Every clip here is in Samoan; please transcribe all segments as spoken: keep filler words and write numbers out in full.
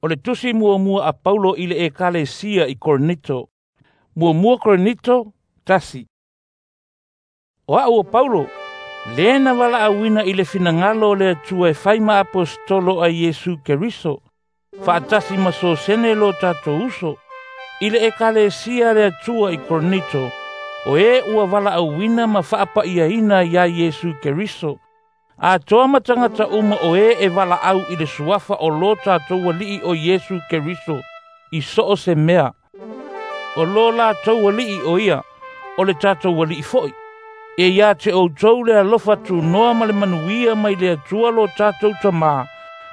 O le tusi muamua a Paulo i le ekalesia i Korinito. Muamua Korinito, tasi. O a'u o Paulo, lē na valaauina i le finagalo o le Atua e fai ma aposetolo a Iesu Keriso, faatasi ma Sosene lo tatou uso, i le ekalesia a le Atua i Korinito, o e ua valaauina ma faapa'iaina iā Iesu Keriso, atoa ma tagata uma o e e valaau i le suafa o lo tatou Alii o Iesu Keriso i so o se mea. O lo latou Alii o ia, o le tatou Alii fo'i. E ia te outou le alofa tunoa ma le manuia mai le Atua lo tatou Tamā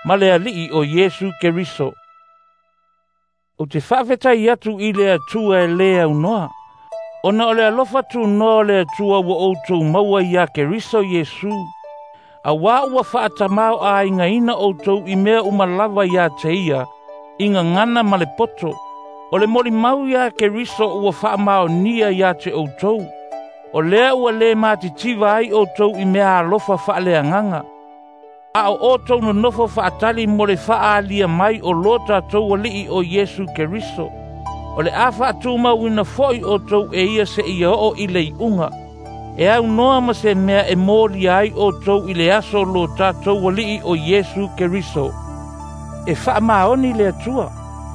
ma le Alii o Iesu Keriso. Ou te faafetai atu i le Atua e lē aunoa, ona o le alofa tunoa o le Atua ua outou maua iā Keriso Iesu, auā ua faatamāo'aigaina outou i mea uma lava iā te ia, i gagana ma le poto. O le molimau iā Keriso ua faamaonia iā te outou, o lea ua lē matitiva ai outou i mea alofa faaleagaga, a o outou nonofo faatali mo le faaalia mai o lo tatou Alii o Iesu Keriso. O le a faatumauina fo'i outou e ia seia oo i le iuga, e aunoa ma se mea e molia ai outou i le aso o lo tatou Alii o Iesu Keriso. E faamaoni le Atua,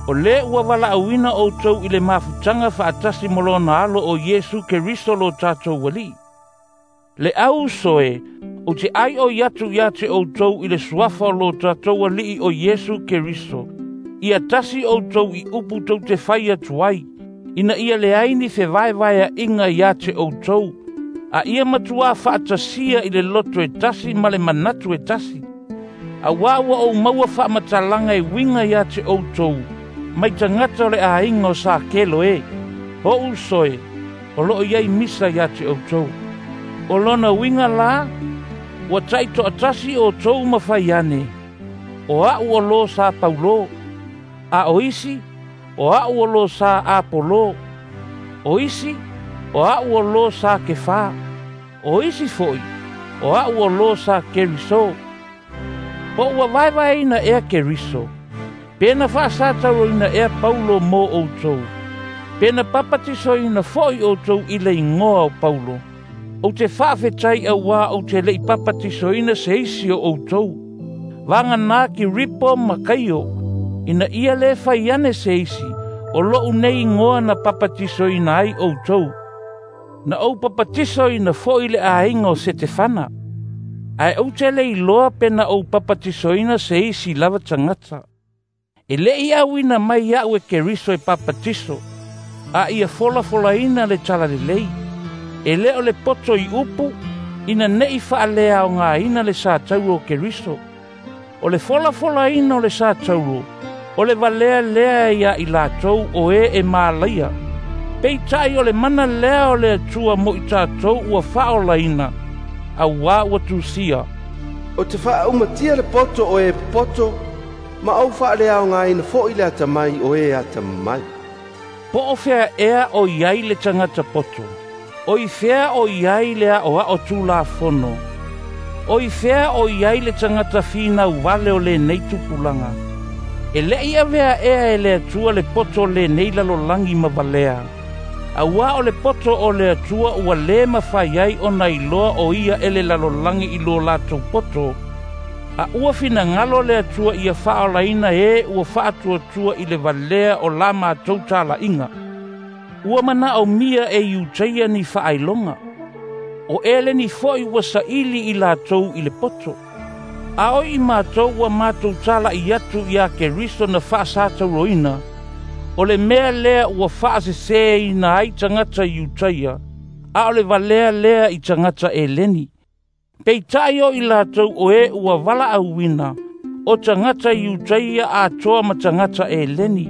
o lē ua valaauina outou i le mafutaga faatasi ma lona Alo o Iesu Keriso lo tatou Alii. Le au uso e, ou te aioi atu iā te outou i le suafa o lo tatou Alii o Iesu Keriso, ia tasi outou i upu tou te fai atu ai, ina ia leai ni fevaevaea'iga iā te outou, a ia matuā faatasia i le loto e tasi ma le manatu e tasi. Auā ua ou maua faamatalaga e uiga iā te outou, mai tagata o le aiga o Sakelo e, o'u uso e, o loo i ai misa iā te outou. O lona uiga la, ua taitoatasi outou ma fai ane, o a'u o lō sa Paulo, a o isi, o a'u o lō sa Apolo, o isi, o a'u o lō sa Kefā, o isi fo'i, o a'u o lō sa Keriso. Po ua vaevaeina ea Keriso, pe na faasatauroina ea Paulo mo outou, pe na papatisoina fo'i outou i le igoa o Paulo. Ou te faafetai auā ou te le'i papatisoina se isi o outou, vaganā Kiripo ma Kaio, ina ia lē fai ane se isi, o lo'u nei igoa na papatisoina ai outou. Na ou papatisoina fo'i le aiga o Setefana, ae ou te le iloa pe na ou papatisoina se isi lava tagata. E le'i auina mai a'u e Keriso e papatiso, a ia folafolaina le talalelei. E lē o le poto i upu, ina ne'i faaleaogāina le satauro o Keriso. O le folafolaina o le satauro, o le valea lea iā i latou o e e malaia. Peita'i o le mana lea o le Atua mo i tatou ua faaolaina, auā ua tusia. Ou te faaumatia le poto o e popoto, ma ou faaleaogāina fo'i le atamai o e atamai. Po o fea ea o i ai le tagata poto, o i fea o i ai le aʻoaʻo tulafono, o i fea o i ai le tagata finau vale o lenei tupulaga. E le'i avea ea e le Atua le poto o lenei lalolagi ma valea, auā o le poto o le Atua ua lē mafai ai ona iloa o ia e le lalolagi i lo latou poto, a ua finagalo le Atua ia faaolaina e ua faatuatua i le valea o la matou tala'iga. Ua manaʻomia e Iutaia ni faailoga, o Eleni fo'i ua saili i latou i le poto. A o i matou ua matou tala'i atu iā Keriso na faasatauroina, o le mea lea ua faasesēina ai tagata Iutaia, a o le valea lea i tagata Eleni. Peita'i o i latou o e ua valaauina, o tagata Iutaia atoa ma tagata Eleni,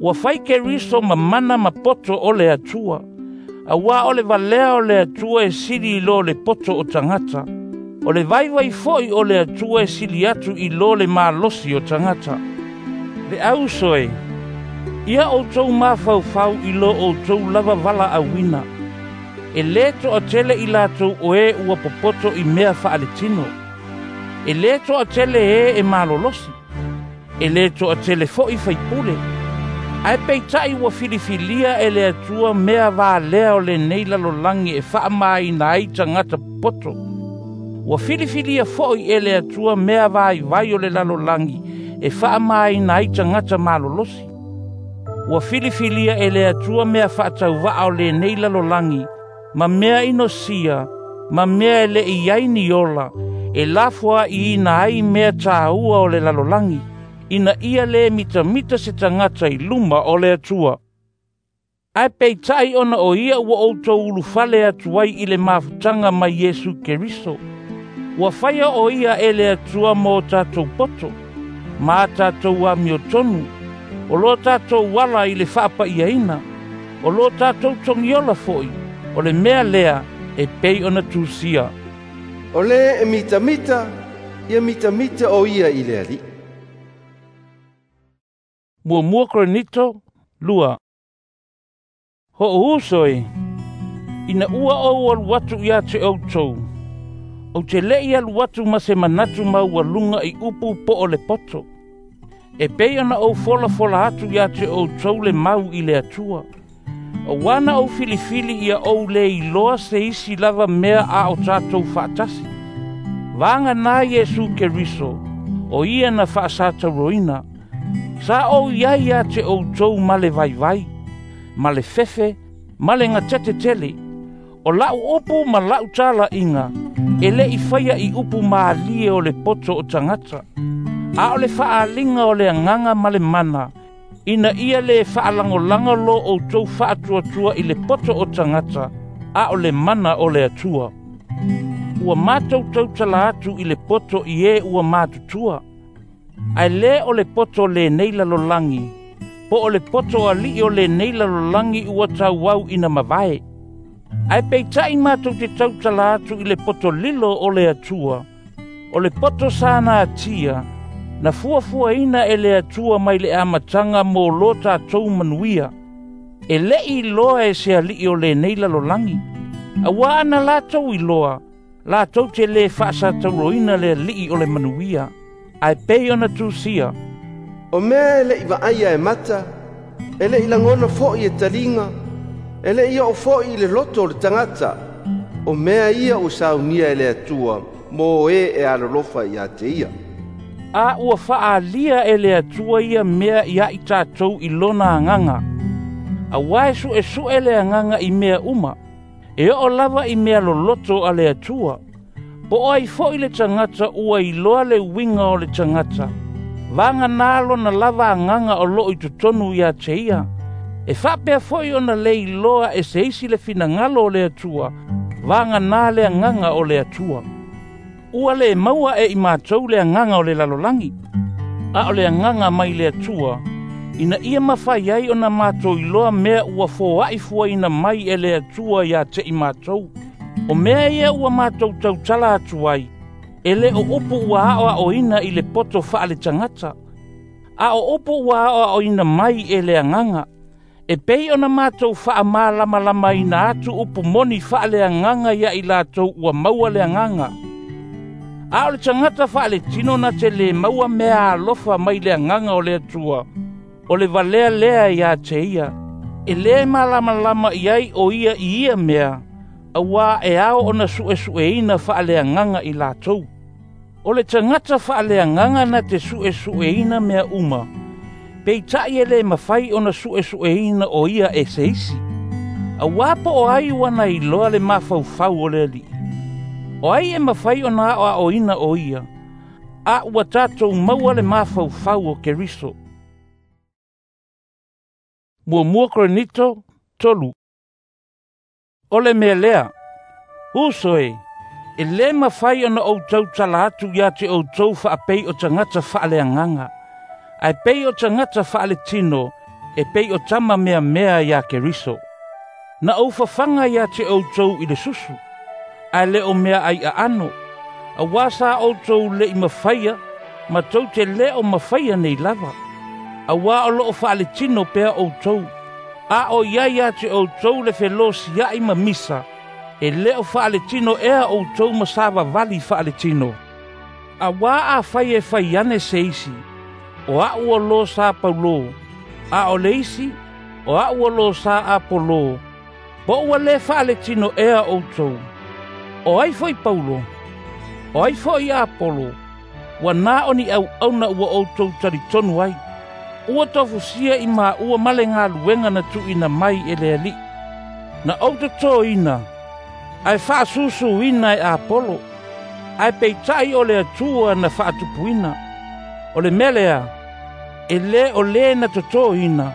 ua fai Keriso ma mana ma poto o le Atua, auā o le valea o le Atua e sili i lo le poto o tagata. O le vaivai fo'i o le Atua e sili atu i lo le malosi o tagata. Le au uso e, ia outou mafaufau i lo outou lava valaauina. E lē toatele i latou o e ua popoto i mea faaletino. E lē toatele e e malolosi. E lē toʻatele foʻi faipule. Ae peitaʻi ua filifilia e le Atua mea valea o lenei lalolagi e faamāina ai tagata popoto. Ua filifilia foʻi e le Atua mea vaivai o le lalolagi e faamāina ai tagata malolosi. Ua filifilia e le Atua mea faatauva'a o lenei lalolagi ma mea inosia ma mea e leʻi ai ni ola e lafoaʻiina ai mea tāua o le lalolagi, ina ia lē mitamita se tagata i luma o le Atua. Ae peitaʻi ona o ia ua outou ulufale atu ai i le mafutaga mai Iesu Keriso. Ua faia o ia e le Atua mo tatou poto, ma tatou amiotonu, o lo tatou ala i le faapa'iaina, o lo tatou togiola foʻi, o le mea lea e pei ona tusia. O lē e mitamita, ia mitamita o ia i le Alii. Muamua Korinito lua. Hoʻouso e, ina ua ou alu atu iā te outou, ou te leʻi alu atu ma se manatu maualuga i upu po o le poto. E pei ona ou folafola atu iā te outou le mau i le Atua. Auā na ou filifili ia ou lē iloa se isi lava mea a o tatou faatasi. Vaganā Iesu Keriso, o ia na faasatauroina. Sa ou iai iā te outou ma le vaivai, ma le fefe, ma le gatetetele. O la'u upu ma la'u tala'iga, e leʻi faia i upu malie o le poto o tagata. A o le faaaliga o le agaga ma le mana, ina ia lē faalagolago lo outou faatuatua i le poto o tagata, a o le mana o le Atua. Ua matou tautala atu i le poto i e ua matutua. Ae lē o le poto lenei lalolagi, po o le poto aliʻi o lenei lalolagi ua tauau ina mavae. Ae peitaʻi matou te tautala atu i le poto lilo o le Atua, o le poto sa natia, na fuafuaina e le Atua mai le amataga mo lo tatou manuia. E leʻi iloa e se aliʻi o lenei lalolagi. Auā ana latou iloa, latou te lē faasatauroina le aliʻi o le manuia. Ae pei ona tusia. O mea e leʻi vaaia e mata, e leʻi lagona foʻi e taliga, e leʻi oo foʻi i le loto o le tagata, o mea ia ua saunia e le Atua mo e e alolofa iā te ia. A ua faaalia e le Atua ia mea iā i tatou i lona agaga. Auā e suʻesuʻe le agaga i mea uma, e oo lava i mea loloto a le Atua. Po o ai foʻi le tagata ua iloa le uiga o le tagata, vaganā lona lava agaga o loo i totonu iā te ia. E faapea foʻi ona lē iloa e se isi le finagalo o le Atua, vaganā le agaga o le Atua. Ua lē maua e i matou le agaga o le lalolagi, a o le agaga mai le Atua, ina ia mafai ai ona matou iloa mea ua foaʻi fuaina mai e le Atua iā te i matou. O mea ia ua matou tautala atu ai, e lē o upu ua aʻoaʻoina i le poto faale tagata, a o upu ua aʻoaʻoina mai e le agaga, e pei ona matou faamalamalamaina atu upu moni faaleagaga ia i latou ua maua le agaga. A o le tagata faaletino na te lē maua mea alofa mai le agaga o le Atua, o le valea lea iā te ia. E lē malamalama i ai o ia i ia mea, auā e ao ona suʻesuʻeina faaleagaga i latou. O le tagata faaleagaga na te suʻesuʻeina mea uma, peitaʻi e lē mafai ona suʻesuʻeina o ia e se isi. Auā po o ai ua na iloa le mafaufau o le Alii. O ai e mafai ona aʻoaʻoina o ia, a ua tatou maua le mafaufau o Keriso. Muamua Korinito tolu. O le mea lea, uso e, e lē mafai ona ou tautala atu iā te outou faapei o tagata faaleagaga, ae pei o tagata faaletino e pei o tama meamea iā Keriso. Na ou fafaga iā te outou i le susu, ae lē o mea ai aano, auā sa outou leʻi mafaia, ma tou te lē o mafaia nei lava. Auā o loo faaletino pea outou, a o iai iā te outou le felosiaʻi ma misa, e lē o faaletino ea outou ma savavali faaletino. Auā afai e fai ane se isi, O a'u o lo sa Paulo, a o le isi, o a'u o lo sa Apolo, po ua lē faaletino ea outou. O ai fo'i Paulo? O ai fo'i Apolo? Ua na o ni auauna ua outou talitonu ai. Ua tofusia i maua ma le galuega na tuuina mai e le Alii. Na ou totoina, ae faasusuina e Apolo, ae peita'i o le Atua na faatupuina. O le mea lea, e lē o lē na totoina,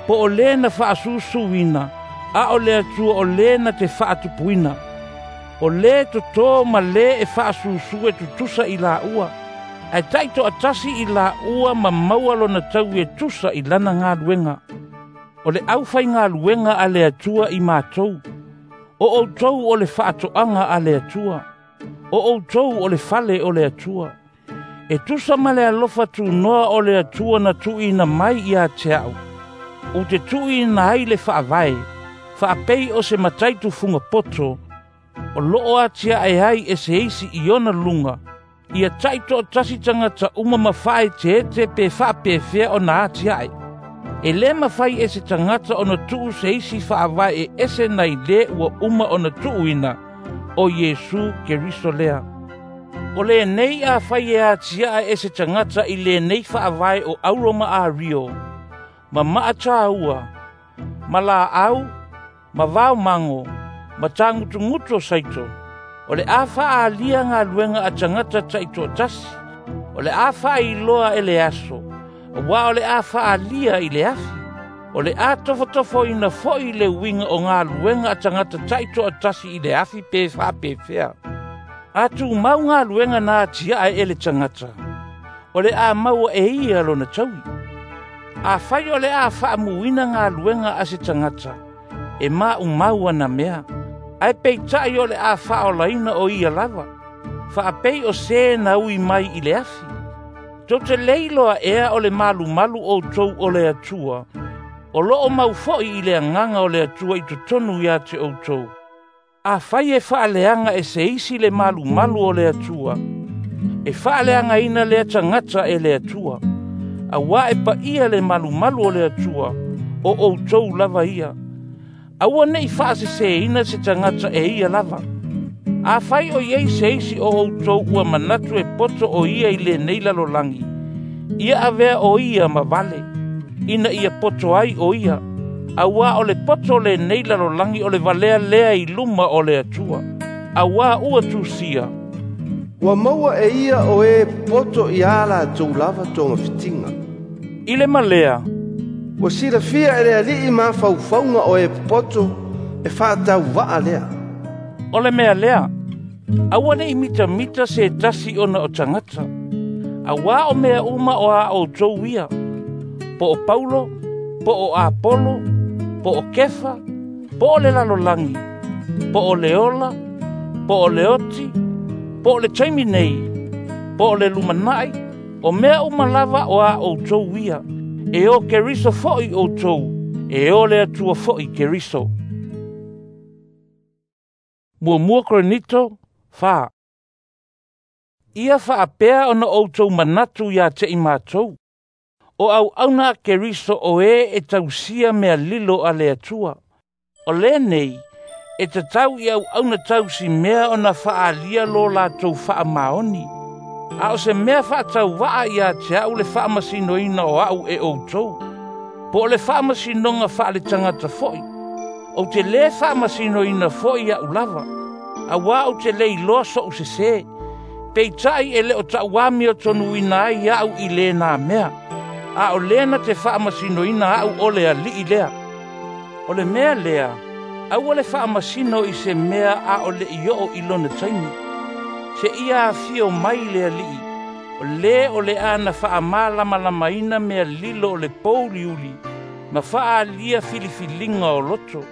po o lē na faasusuina, a o le Atua o lē na te faatupuina. O lē totō ma lē e faasusu e tutusa i laua, ae taitoatasi i laua ma maua lona taui e tusa i lana galuega. O le aufaigaluega a le Atua i matou, o outou o le faatoaga a le Atua, o outou o le fale o le Atua. E tusa ma le alofa tunoa o le Atua na tuuina mai ia te a'u, ou te tuuina ai le faavae, faapei o se matai tufuga poto, o loo atiae ai e se isi i ona luga, ia taitoatasi tagata uma ma faaeteete pe faapefea ona atiae. E lē mafai e se tagata ona tuu se isi faavae e ese nai lē ua uma ona tuuina, o Iesu Keriso lea. O lenei afai e atiae e se tagata i lenei faavae o auro ma ario, ma maatāua, ma laau, ma vaomago, ma tagutugutu o saito, o le a faaalia galuega a tagata taitoatasi, o le a faailoa e le aso, auā o le a faaalia i le afi, o le a tofotofoina fo'i le uiga o galuega a tagata taitoatasi i le afi pe faapefea. A tumau galuega na atiae e le tagata, o le a maua e ia lona taui. Afai o le a faamuina galuega a se tagata, e maumau ana mea, ae peita'i o le a faaolaina o ia lava, faapei o sē na ui mai i le afi. Tou te lē iloa ea o le malumalu outou o le Atua, o loo mau fo'i i le agaga o le Atua i totonu ia te outou. Afai e faaleaga e se isi le malumalu o le Atua, e faaleagaina lea tagata e le Atua, auā e paia le malumalu o le Atua, o outou lava ia. Aua ne'i faasesēina se tagata e ia lava. Afai o iai se isi o outou ua manatu e poto o ia i lenei lalolagi, ia avea o ia ma vale, ina ia poto ai o ia, auā o le poto lenei lalolagi o le valea lea i luma o le Atua, auā ua tusia. Ua maua e ia o e poto ia latou lava togafitiga. I le malea, Ua silafia e le Alii mafaufauga o e poto e faatauvaa lea. O le mea lea, aua ne'i mitamita se tasi ona o tagata, auā o mea uma o a outou ia, po o Paulo, po o Apolo, po o Kefa, po o le lalolagi, po o le ola, po o le oti, po o le taimi nei, po o le lumana'i, o mea uma lava o a outou ia, e o Keriso fo'i outou, e o le Atua fo'i Keriso. Muamua Korinito fa. Ia faapea ona outou manatu ia te i matou, o auauna a Keriso o e e tausia mea lilo a le Atua. O lenei, e tatau i auauna tausi mea ona faaalia lo latou faamaoni. A o se mea faatauvaa ia te a'u le faamasinoina o a'u e outou, po o le faamasinoga faaletagata fo'i. Ou te lē faamasinoina fo'i a'u lava, auā ou te lē iloa so'u sesē, peita'i e lē o ta'uamiotonuina ai a'u i lēnā mea, a o lē na te faamasinoina a'u o le Alii lea. O le mea lea, aua le faamasino i se mea a o le'i oo i lona taimi. Se ia afio mai le Alii, o lē o le a na faamalamalamaina mea lilo o le pouliuli, ma faaalia filifiliga o loto.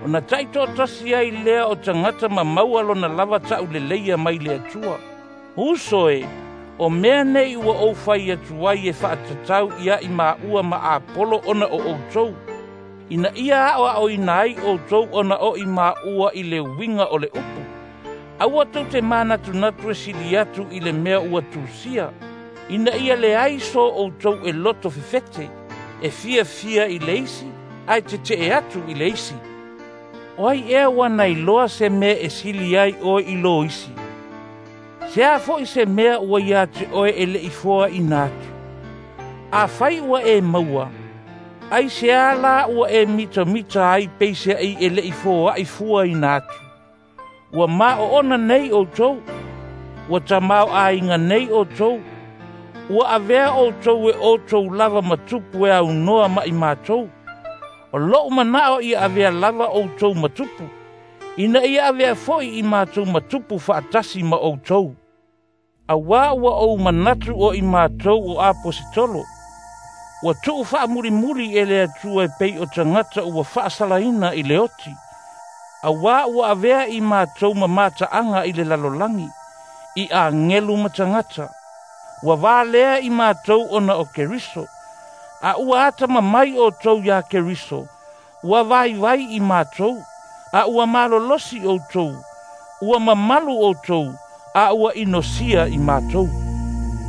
Ona taitoatasi ai lea o tagata ma maua lona lava ta'uleleia mai le Atua. Uso e, o mea nei ua ou fai atu ai e faatatau ia i maua ma Apolo ona o outou, ina ia aʻoaʻoina ai outou ona o i maua i le uiga o le upu. Aua tou te manatunatu e sili atu i le mea ua tusia, Ina ia leai so outou e loto fefete, e fiafia i le isi, ae tete'e atu i le isi. O ai ea ua nailoa se mea e sili ai oe i lo isi? Se a fo'i se mea ua ia te oe e le'i foaʻina atu? Afai ua e maua, ai se a la ua e mitamita ai peiseaʻi e le'i foaʻi fuaina atu? Ua maoona nei outou, ua tamaoaiga nei outou, ua avea outou e outou lava matupu e aunoa ma i matou. O lo'u mana'o ia avea lava outou matupu, ina ia avea fo'i i matou matupu fa'atasi ma outou. Auā ua ou manatu o i matou o aposetolo, ua tu'u fa'amulimuli e le Atua e pei o tagata ua fa'asalaina i le oti. Auā ua avea i matou ma mata'aga i le lalolagi, i agelu ma tagata. Ua valea i matou ona o Keriso, a ua atamamai outou iā Keriso, ua vaivai i matou, a ua malolosi outou, ua mamalu outou, a ua inosia i matou.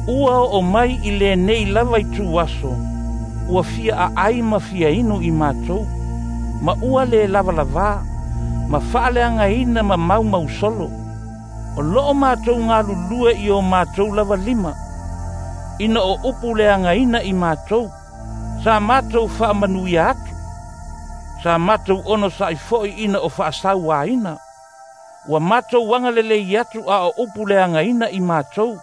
Ua oo mai i lenei lava itu aso, ua fia aai ma fia inu i matou, ma ua le lavalavā, ma faaleagaina ma maumausolo. O loo matou galulue i o matou lava lima, ina o upu leagaina i matou, sa matou faamanuia atu, sa matou onosaʻi foʻi ina o faasauaina. Ua matou agalelei atu a o upu leagaina i matou,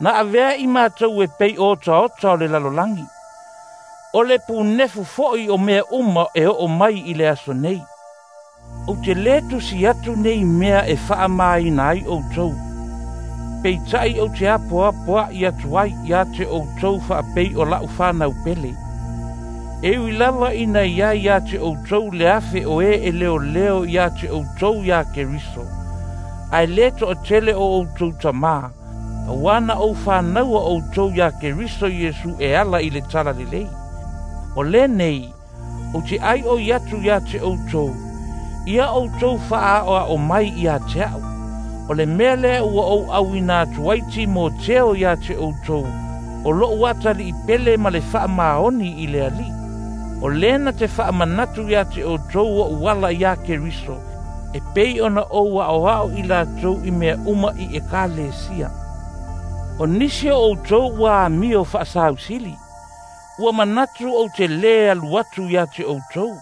na avea i matou e pei o otaota o le lalolagi. O le punefu foʻi o mea uma e oo mai i le aso nei. Ou te lē tusi atu nei mea e faamāina ai outou, peitaʻi ou te apoapoaʻi atu ai iā te outou faapei o la'u fanau pele. E ui lava ina iai iā te outou le afe o e e leoleo iā te outou iā Keriso, ae lē to'atele o outou tamā, auā na ou fanaua outou iā Keriso Iesu e ala i le talalelei. O lenei, ou te aioi atu iā te outou, ia outou fa'aaoa'o mai iā te a'u. O le mea lea ua ou auina atu ai Timoteo iā te outou, o lo'u atali'i pele ma le fa'amaoni i le Alii. O lena te fa'amanatu iā te outou o'u ala iā Keriso, e pei ona ou a'oa'o i latou i mea uma i ekalesia. O nisi o outou ua amio fa'asausili, ua manatu ou te lē alu atu iā te outou.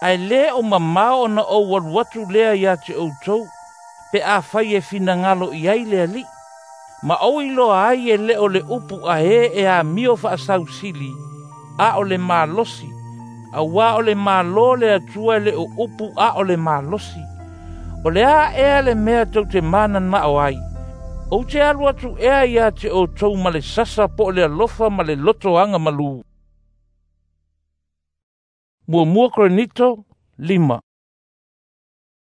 Ae lē o mamao ona ou alu atu lea iā te outou, pe afai e finagalo i ai le Alii. Ma ou iloa ai e lē o le upu a ē e amio fa'asausili, a o le malosi, auā o le mālō le Atua e le o upu a o le malosi. O le a ea le mea tou te manana'o ai? Ou te alu atu ea iā te outou ma le sasa po o le alofa ma le lotoaga malū. Muamua Korinito lima.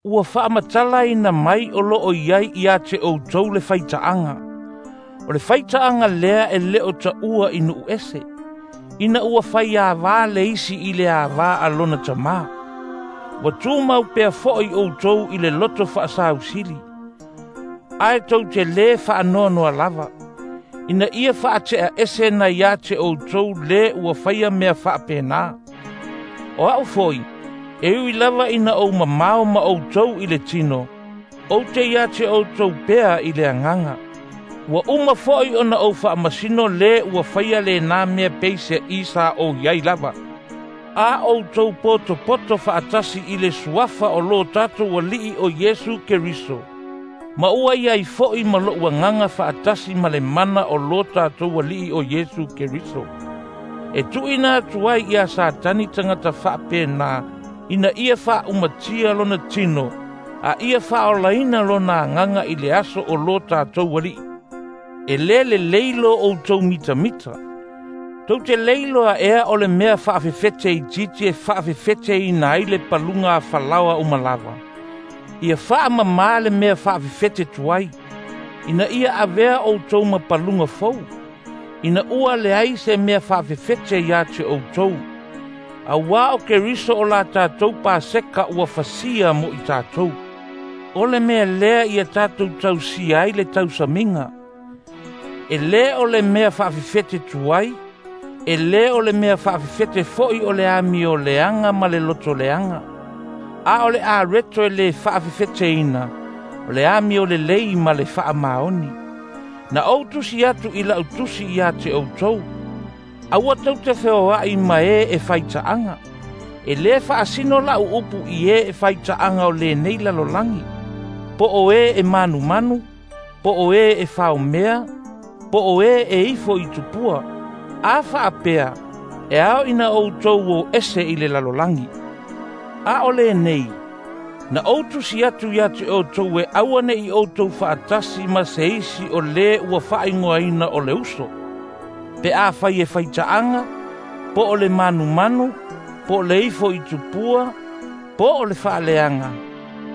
Ua faamatalaina mai o loo iai iā te outou le faitaaga. O le faitaaga lea e lē o taʻua i nuu ese, ina ua faiāvā le isi i le avā a lona tamā. Ua tumau pea foʻi outou i le loto faasausili, ae tou te lē faanoanoa lava, ina ia faateʻa ese na iā te outou lē ua faia mea faapenā. O a'u foi, e ui lava ina ou mamao ma outou i le tino, ou te iā te outou pea i le agaga. Ua uma foʻi ona ou faamasino lē ua faia lenā mea peiseaʻi sa ou iai lava. A outou potopoto fa'atasi i le suafa o lō tatou Ali'i o Iesu Keriso, ma ua iai foʻi ma lo'u agaga fa'atasi ma le mana o lō tatou Ali'i o Iesu Keriso. E tu'uina atu ai iā Satani tagata fa'apenā, ina ia fa'aumatia lona tino, a ia fa'aolaina lona agaga i le aso o lō tatou Ali'i. E lē lelei lo outou mitamita. Tou te leiloa ea o le mea fa'afefete itiiti e fa'afefeteina ai le paluga a falaoa uma lava. Ia fa'amamā le mea fa'afefete tuai, ina ia avea outou ma paluga fou, ina ua leai se mea fa'afefete iā te outou. Auā o Keriso o la tatou Paseka ua fasia mo i tatou. O le mea lea ia tatou tausia ai le tausamiga. E lē o le mea faafefete tuai, e lē o le mea faafefete fo'i o le amio leaga ma le loto leaga. A o le areto e lē faafefeteina, o le amio lelei ma le faamaoni. Na ou tusi atu i la'u tusi iā te ʻoutou, aua tou te feoa'i ma e e faita'aga. E lē faasino la'u upu i e e faita'aga o lenei lalolagi, po o e e manumanu, po o e e faomea, po o e e ifo i tupua. A faapea, e ao ina outou o ese i le lalolagi. A o lenei, na ou tusi atu iā te ʻoutou e aua ne'i outou fa'atasi ma se isi o lē ua faaigoaina o le uso. Pe afai e faita'aga, po o le manumanu, po o le ifo i tupua, po o le fa'aleaga,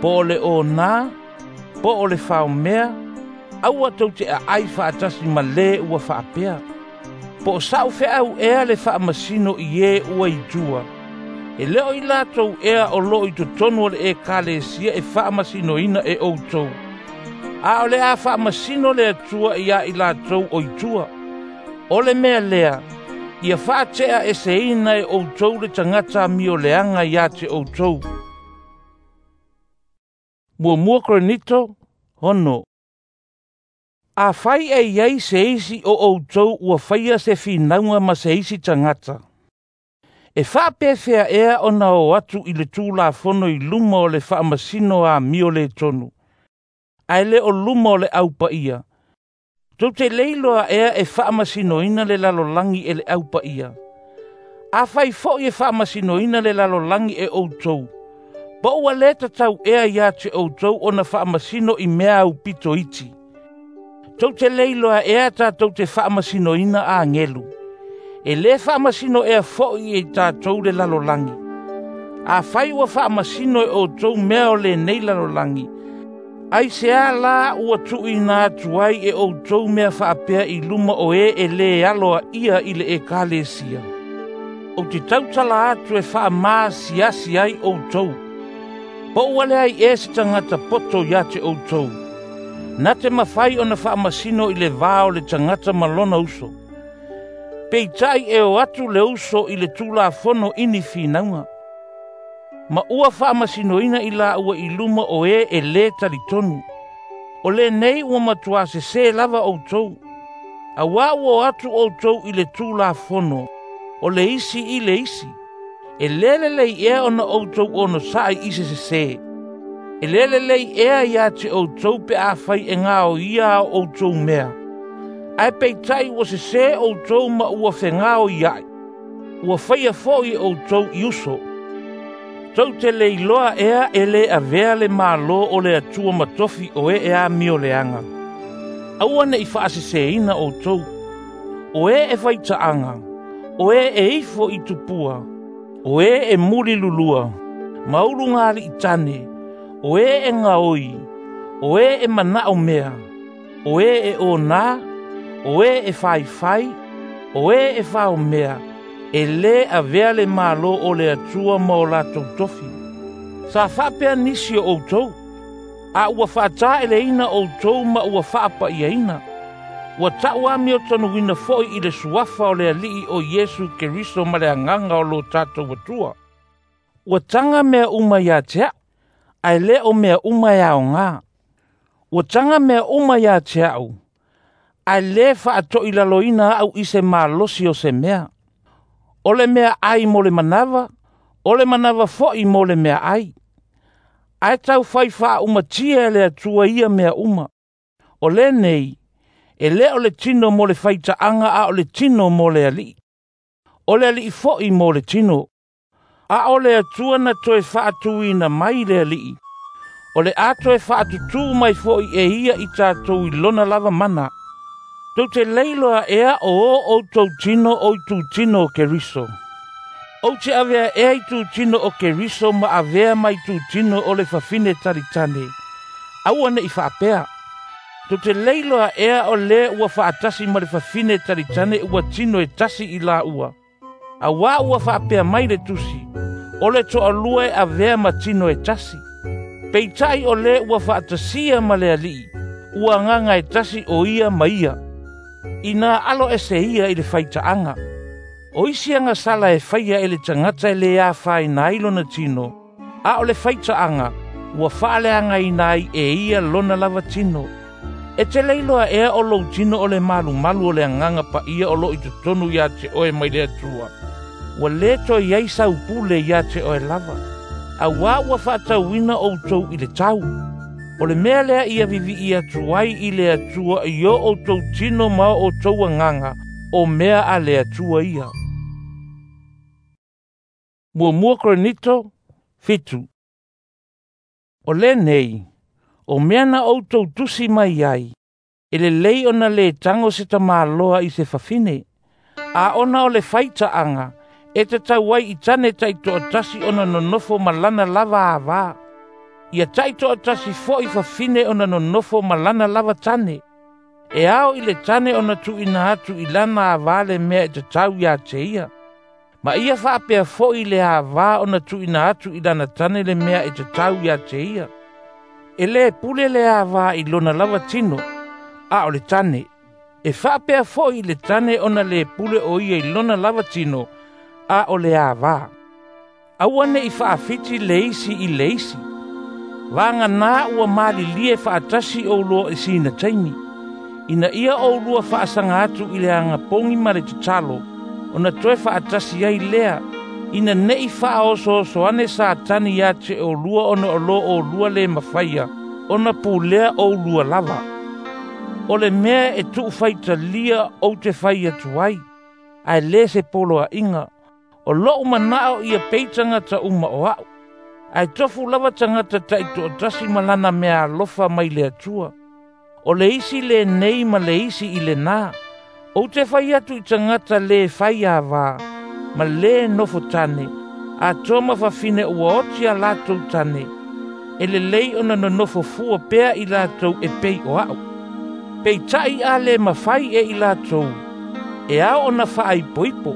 po o le onā, po o le faomea, aua tou te a'ai fa'atasi ma lē ua fa'apea. Po o sa'u fe'au ea le fa'amasino i e ua i tua, e lē o i latou ea o lo'o i totonu o le ekalesia e fa'amasinoina e ʻoutou, a o le a fa'amasino le Atua iā i latou o i tua. O le mea lea, ia fa'ate'a eseina e ʻoutou le tagata amio leaga iā te ʻoutou. Muamua Korinito, ono. Afai e iai se isi o ʻoutou ua faia se finauga ma se isi tagata, e fa'apefea ea ona o atu i le tulafono i luma o le fa'amasino amio lē tonu, ae lē o luma o le aupaia? Tou te lē iloa ea e fa'amasinoina le lalolagi e le aupaia? Afai fo'i e fa'amasinoina le lalolagi e ʻoutou, po ua lē tatau ea iā te ʻoutou ona fa'amasino i mea aupito iti? Tou te lē iloa ea tatou te fa'amasinoina agelu? E lē fa'amasino ea fo'i e tatou le lalolagi? Afai ua fa'amasino e ʻoutou mea o lenei lalolagi, aisea lā ua tu'uina atu ai e ʻoutou mea fa'apea i luma o e e lē aloa'ia i le ekalesia? Ou te tautala atu e fa'amasiasi ai ʻoutou. Po ua leai ea se tagata poto iā te ʻoutou, na te mafai ona fa'amasino i le vā o le tagata ma lona uso. Peita'i e o atu le uso i le tulafono i ni finauga, ma ua fa'amasinoina i lāua i luma o e e lē talitonu. O lenei ua matuā sesē lava ʻoutou, auā ua o atu ʻoutou i le tulafono o le isi i le isi. E lē lelei ea ona ʻoutou onosa'i i se sesē. E lē lelei ea iā te ʻoutou pe afai e gaoia a ʻoutou mea, ae peita'i ua sesē ʻoutou ma ua fegaoia'i, ua faia fo'i e ʻoutou i uso. Tou te le iloa ea e lē avea le mālō o le Atua ma tofi o e e amio leaga. Aua ne'i fa'asesēina ʻoutou. O e e faita'aga, o e e ifo i tupua, o e e muli lulua, ma uluga ali'i tane, o e e gaoi, o e e mana'o mea, o e e onā, o e e faifai, o e e faomea, e lē avea le mālō o le Atua ma o latou tofi. Sa fa'apea nisi o ʻoutou, a ua fa'ataʻeleina ʻoutou ma ua fa'apa'iaina. Ua ta'u amio tonuina fo'i i le suafa o le Ali'i o Iesu Keriso ma le Agaga o lo tatou Atua. Ua taga mea uma iā te a'u, ae lē o mea uma e aogā. Ua taga mea uma iā te a'u, ae lē fa'ato'ilaloina a'u i se malosi o se mea. O le mea ai mo le manava, o le manava fo'i mo le mea ai. Ae tau fai fa'aumatia e le Atua ia mea uma. O lenei, e lē o le tino mo le faita'aga a o le tino mo le Ali'i. O le Ali'i fo'i mo le tino. A o le Atua na toe fa'atuina mai le Ali'i, o le a toe fa'atutū mai fo'i e ia i tatou i lona lava mana. Tou te lē iloa ea o o ʻoutou tino o itutino o Keriso? Ou te avea ea itutino o Keriso ma avea ma itutino o le fafine talitane? Aua ne'i fa'apea. Tou te lē iloa ea o lē ua fa'atasi ma le fafine talitane ua tino e tasi i lāua? Auā ua fa'apea mai le tusi, o le to'alua e avea ma tino e tasi. Peita'i o lē ua fa'atasia ma le Ali'i, ua agaga e tasi o ia ma ia. Ina alo ese ia i le faitaaga. O isi agasala e faia e le tagata e lē afaina ai lona tino, a o le faitaaga ua faaleagaina ai e ia lona lava tino. E te le iloa ea o lou tino o le malumalu o le Agaga Paia o loo i totonu iā te oe mai le Atua? Ua lē toe i ai sau pule iā te oe lava, auā ua faatauina outou i le tau. O le mea lea ia vivii atu ai i le Atua i o outou tino ma o outou agaga, o mea a le Atua ia. Muamua Korinito fitu. O lenei, o mea na outou tusi mai ai, e lelei ona lē tago se tamāloa i se fafine, a ona o le faitaaga, e tatau ai i tane taitoatasi ona nonofo ma lana lava avā. Ia taitoatasi fo'i fafine ona nonofo ma lana lava tane. E ao i le tane ona tuuina atu i lana avā le mea e tatau iā te ia. Ma ia faapea fo'i le avā ona tuuina atu i lana tane le mea e tatau iā te ia. E lē pule le avā i lona lava tino, a o le tane. E faapea fo'i le tane ona lē pule o ia i lona lava tino, a o le avā. Aua ne'i faafiti le isi i le isi. Vaganā ua malilie faatasi oulua i sina taimi. Ina ia oulua faasaga atu i le agapogi ma le tatalo, ona toe faatasi ai lea, ina ne'i faaosooso ane Satani iā te oulua ona o lō oulua lē mafaia, ona pulea oulua lava. O le mea e tuufaitalia ou te fai atu ai, ae lē se poloaʻiga, o lo'u mana'o ia pei tagata uma o a'u. Ae tofu lava tagata taitoatasi ma lana mea alofa mai le Atua. O le isi lenei ma le isi i lenā. Ou te fai atu i tagata lē fai avā, ma lē nofo tane, atoa ma fafine ua oti a latou tane, e lelei ona nonofo fua pea i latou e pei o a'u. Peita'i a lē mafai e i latou, e ao ona faaipoipo.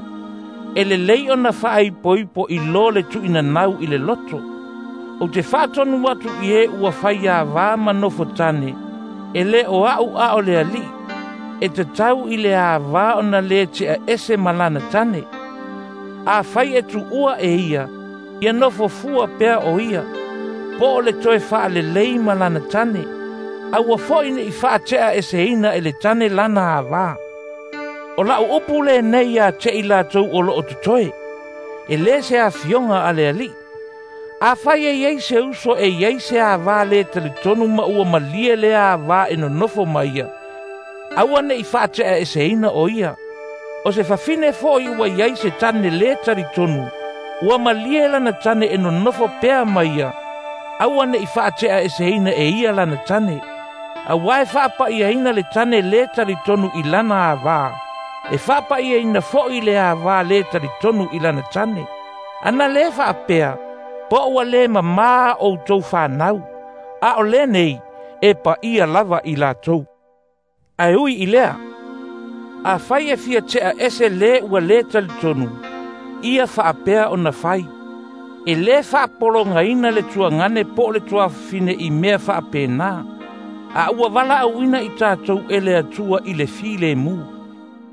E lelei ona faaipoipo i lō le tuuinanau i le loto. Ou te faatonu atu i e ua fai avā ma nofo tane, e lē o a'u a o le Alii, e tatau i le avā ona lē te'a ese ma lana tane. Afai e tuua e ia, ia nofo fua pea o ia, po o le toe faalelei ma lana tane, aua fo'i ne'i faate'a eseina e le tane lana avā. O la'u upu lenei iā te i latou o loo totoe, e lē se afioga a le Alii. Afai e iai se uso e iai se avā lē talitonu ma ua malie lea avā e nonofo ma ia, aua ne'i faate'a eseina o ia. O se fafine fo'i ua iai se tane lē talitonu, ua malie lana tane e nonofo pea ma ia, aua ne'i faate'a eseina e ia lana tane. Auā e faapa'iaina le tane lē talitonu i lana avā, e faapa'iaina fo'i le avā lē talitonu i lana tane. Ana lē faapea, po ua lē mamā outou fanau, a o lenei e paia lava i latou. Ae ui i lea, afai e fia te'a ese lē ua lē talitonu, ia faapea ona fai. E lē faapologaina le tuagane po o le tuafafine i mea faapenā, a ua valaauina i tatou e le Atua i le filemu.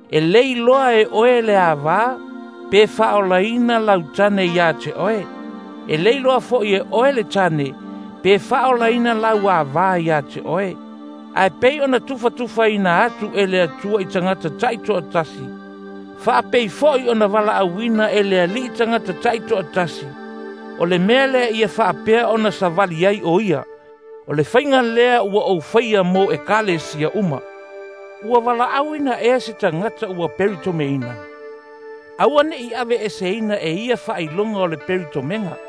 E lē iloa e oe le avā, pe faaolaina lau tane iā te oe. E lē iloa fo'i e oe le tane, pe faaolaina lau avā iā te oe. Ae pei ona tufatufaina atu e le Atua i tagata taitoatasi, faapei fo'i ona valaauina e le Alii tagata taitoatasi, o le mea lea ia faapea ona savali ai o ia. O le faiga lea ua ou faia mo ekalesia uma. Ua valaauina ea se tagata ua peritomeina. Aua ne'i aveeseina e ia faailoga o le peritomega.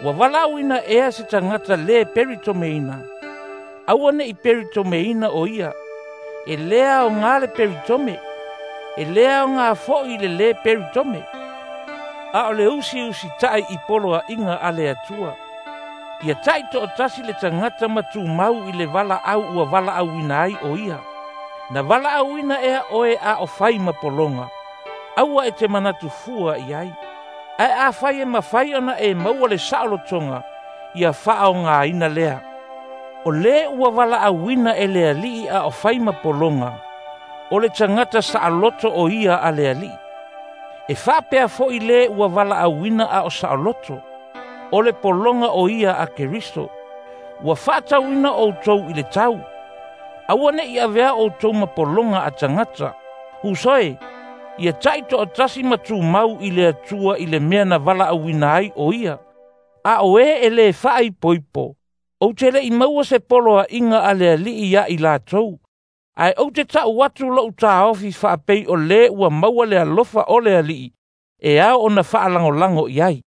Ua valaauina ea se tagata lē peritomeina. Aua ne'i peritomeina o ia. E lē aogā le peritome, e lē aogā fo'i le lē peritome. A o le usiusita'i i poloa'iga a le Atua. Ia ta'ito'atasi le tagata ma tumau i le valaau ua valaauina ai o ia. Na valaauina ea oe a o fai ma pologa, aua e te manatu fua i ai. Ae afai e mafai ona e maua le saolotoga, ia faaogāina lea. O lē ua valaauina e le Alii a o fai ma pologa, o le tagata saʻaloto o ia a le Alii. E faapea foʻi lē ua valaauina a o saʻaloto, o le pologa o ia a Keriso. Ua faatauina outou i le tau. Aua neʻi avea outou ma pologa a tagata. Uso e, ia taʻitoʻatasi ma tumau i le Atua i le mea na valaauina ai o ia. A o e e lē faaipoipo, ou te leʻi maua se poloaʻiga a le Alii ia i latou. Ae ou te taʻu atu loʻu taofi faapei o lē ua maua le alofa o le Alii e ao ona faalagolago i ai.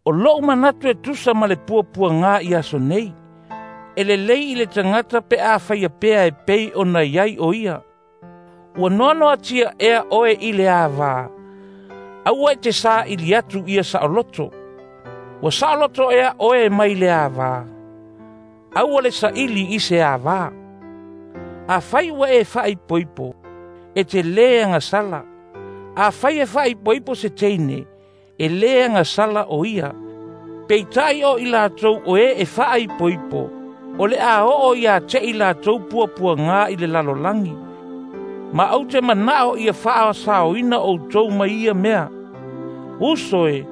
O loʻu manatu e tusa ma le puapuagā i aso nei. E lelei i le tagata pe a faia pea e pei ona i ai o ia. Ua noanoatia ea oe i le avā. Aua e te saʻili atu ia saʻoloto. Ua saʻoloto ea oe mai le avā. Aua le saʻili i se avā. Afai ua e faaipoipo, e te lē agasala. Afai e faaipoipo se teine, e lē agasala o ia. Peitai o i latou o e e faaipoipo, o le a oo ia te i latou puapuagā i le lalolagi. Ma ou te manaʻo ia faasaoina outou mai ia mea. Uso e,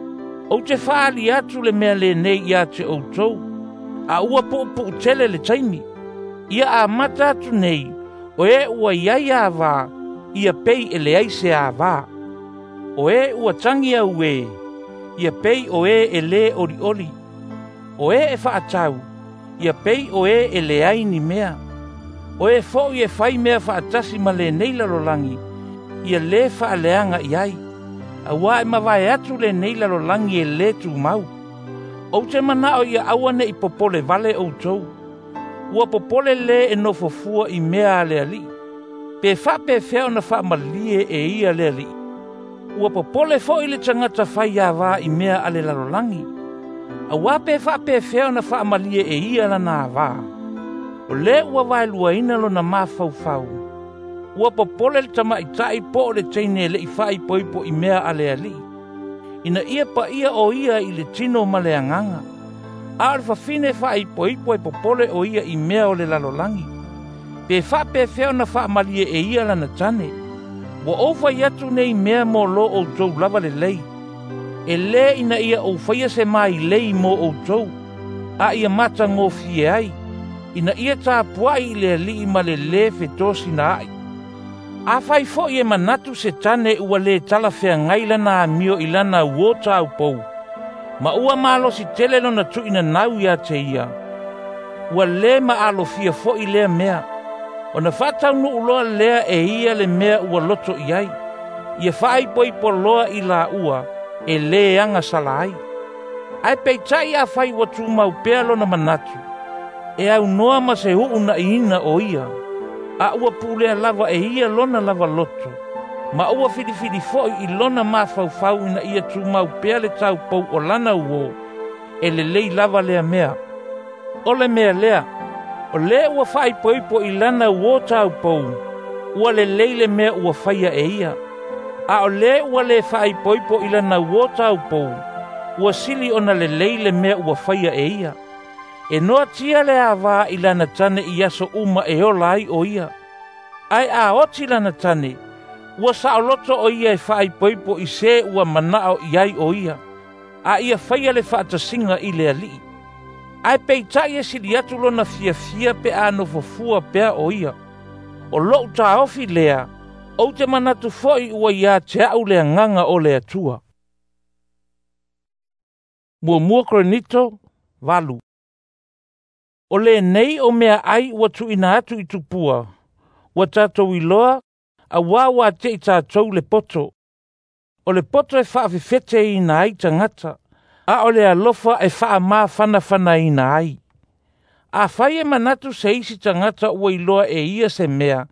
ou te faali atu le mea lenei ia te outou, a ua puupuu tele le taimi. Ia amata atu nei, o e ua iai avā, ia pei e leai se avā. O e ua tagi au e, ia pei o e e lē olioli. O e e faatau, ia pei o e e leai ni mea. O e foʻi e fai mea faatasi ma lenei lalolagi, ia lē faaleaga i ai. Auā e mavae atu lenei lalolagi e lē tumau. Ou te manaʻo ia aua neʻi popole vale outou. Ua popole lē e nofofua i mea a le Alii. Pe faapefea ona faamalie e ia le Alii. Ua popole foʻi le tagata fai avā i mea a le lalolagi. Auā pe faapefea ona faamalie e ia lana avā. O lē ua vaeluaina lona mafaufau. Ua popole le tamaʻitaʻi po o le teine e leʻi faaipoipo i mea a le Alii. Ina ia paia o ia i le tino ma le agaga. A o le fafine faaipoipo e popole o ia i mea o le lalolagi. Pe faapefea ona faamalie e ia lana tane. Ua ou fai atu nei mea mo lo outou lava lelei. E lē ina ia ou faia se mailei mo outou, a ia matagofie ai, ina ia tapuaʻi i le Alii ma le lē fetosinaʻi. Afai foʻi e manatu se tane ua lē talafeagai lana amio i lana uō taupou, ma ua malosi tele lona tuuinanau ia te ia, ua lē maalofia foʻi lea mea. Ona faataunuu loa lea e ia le mea ua loto i ai. Ia faaipoipo loa i laua e lē agasala ai. Ae peitai afai ua tumau pea lona manatu, e aunoa ma se uunaʻiina o ia, a ua pulea lava e ia lona lava loto, ma ua filifili foʻi i lona mafaufau ina ia tumau pea le taupou o lana uō, e lelei lava lea mea. O le mea lea, o lē ua faaipoipo i lana uō taupou, ua lelei le mea ua faia e ia. A o lē ua lē faaipoipo i lana uō taupou, ua sili ona lelei le mea ua faia e ia. E noatia le avā i lana tane i aso uma e ola ai o ia. Ae a oti lana tane, ua saʻoloto o ia e faaipoipo i se ua manaʻo i ai o ia, a ia faia le faatasiga i le Alii. Ae peitaʻi e sili atu lona fiafia pe a nofofua pea o ia. O loʻu taofi lea, ou te manatu foʻi ua iā te aʻu le agaga o le Atua. Muamua Korinito valu. O lenei o mea ai ua tuuina atu i tupua, ua tatou iloa, auā ua ateʻi tatou le poto. O le poto e faafefeteina ai tagata, a o le alofa e faamafanafanaina ai. Afai e manatu se isi tagata ua iloa e ia se mea,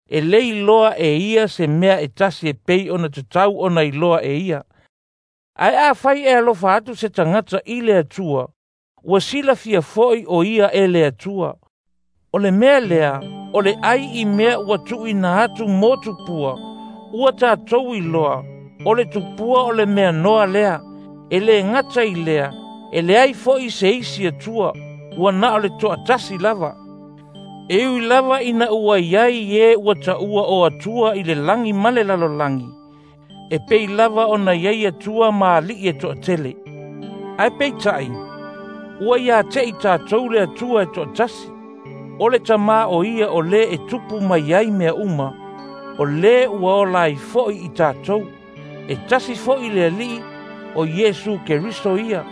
e lē iloa e ia se mea e tasi e pei ona tatau ona iloa e ia. Ae afai e alofa atu se tagata i le Atua, ua silafia foʻi o ia e le Atua. O le mea lea, o le ai i mea ua tuuina atu mo tupua, ua tatou iloa, o le tupua o le mea noa lea, e lē gata i lea, e leai foʻi se isi Atua, ua na o le toatasi lava. E ui lava ina ua iai e ua taua o Atua i le lagi ma le lalolagi, e pei lava ona iai Atua ma alii e toatele. Ae peitai, ua ia te i tatou le Atua e toatasi, o le Tamā o ia o lē e tupu mai ai mea uma, o lē ua ola ai foi i tatou. E tasi foi le Alii, o Iesu Keriso ia,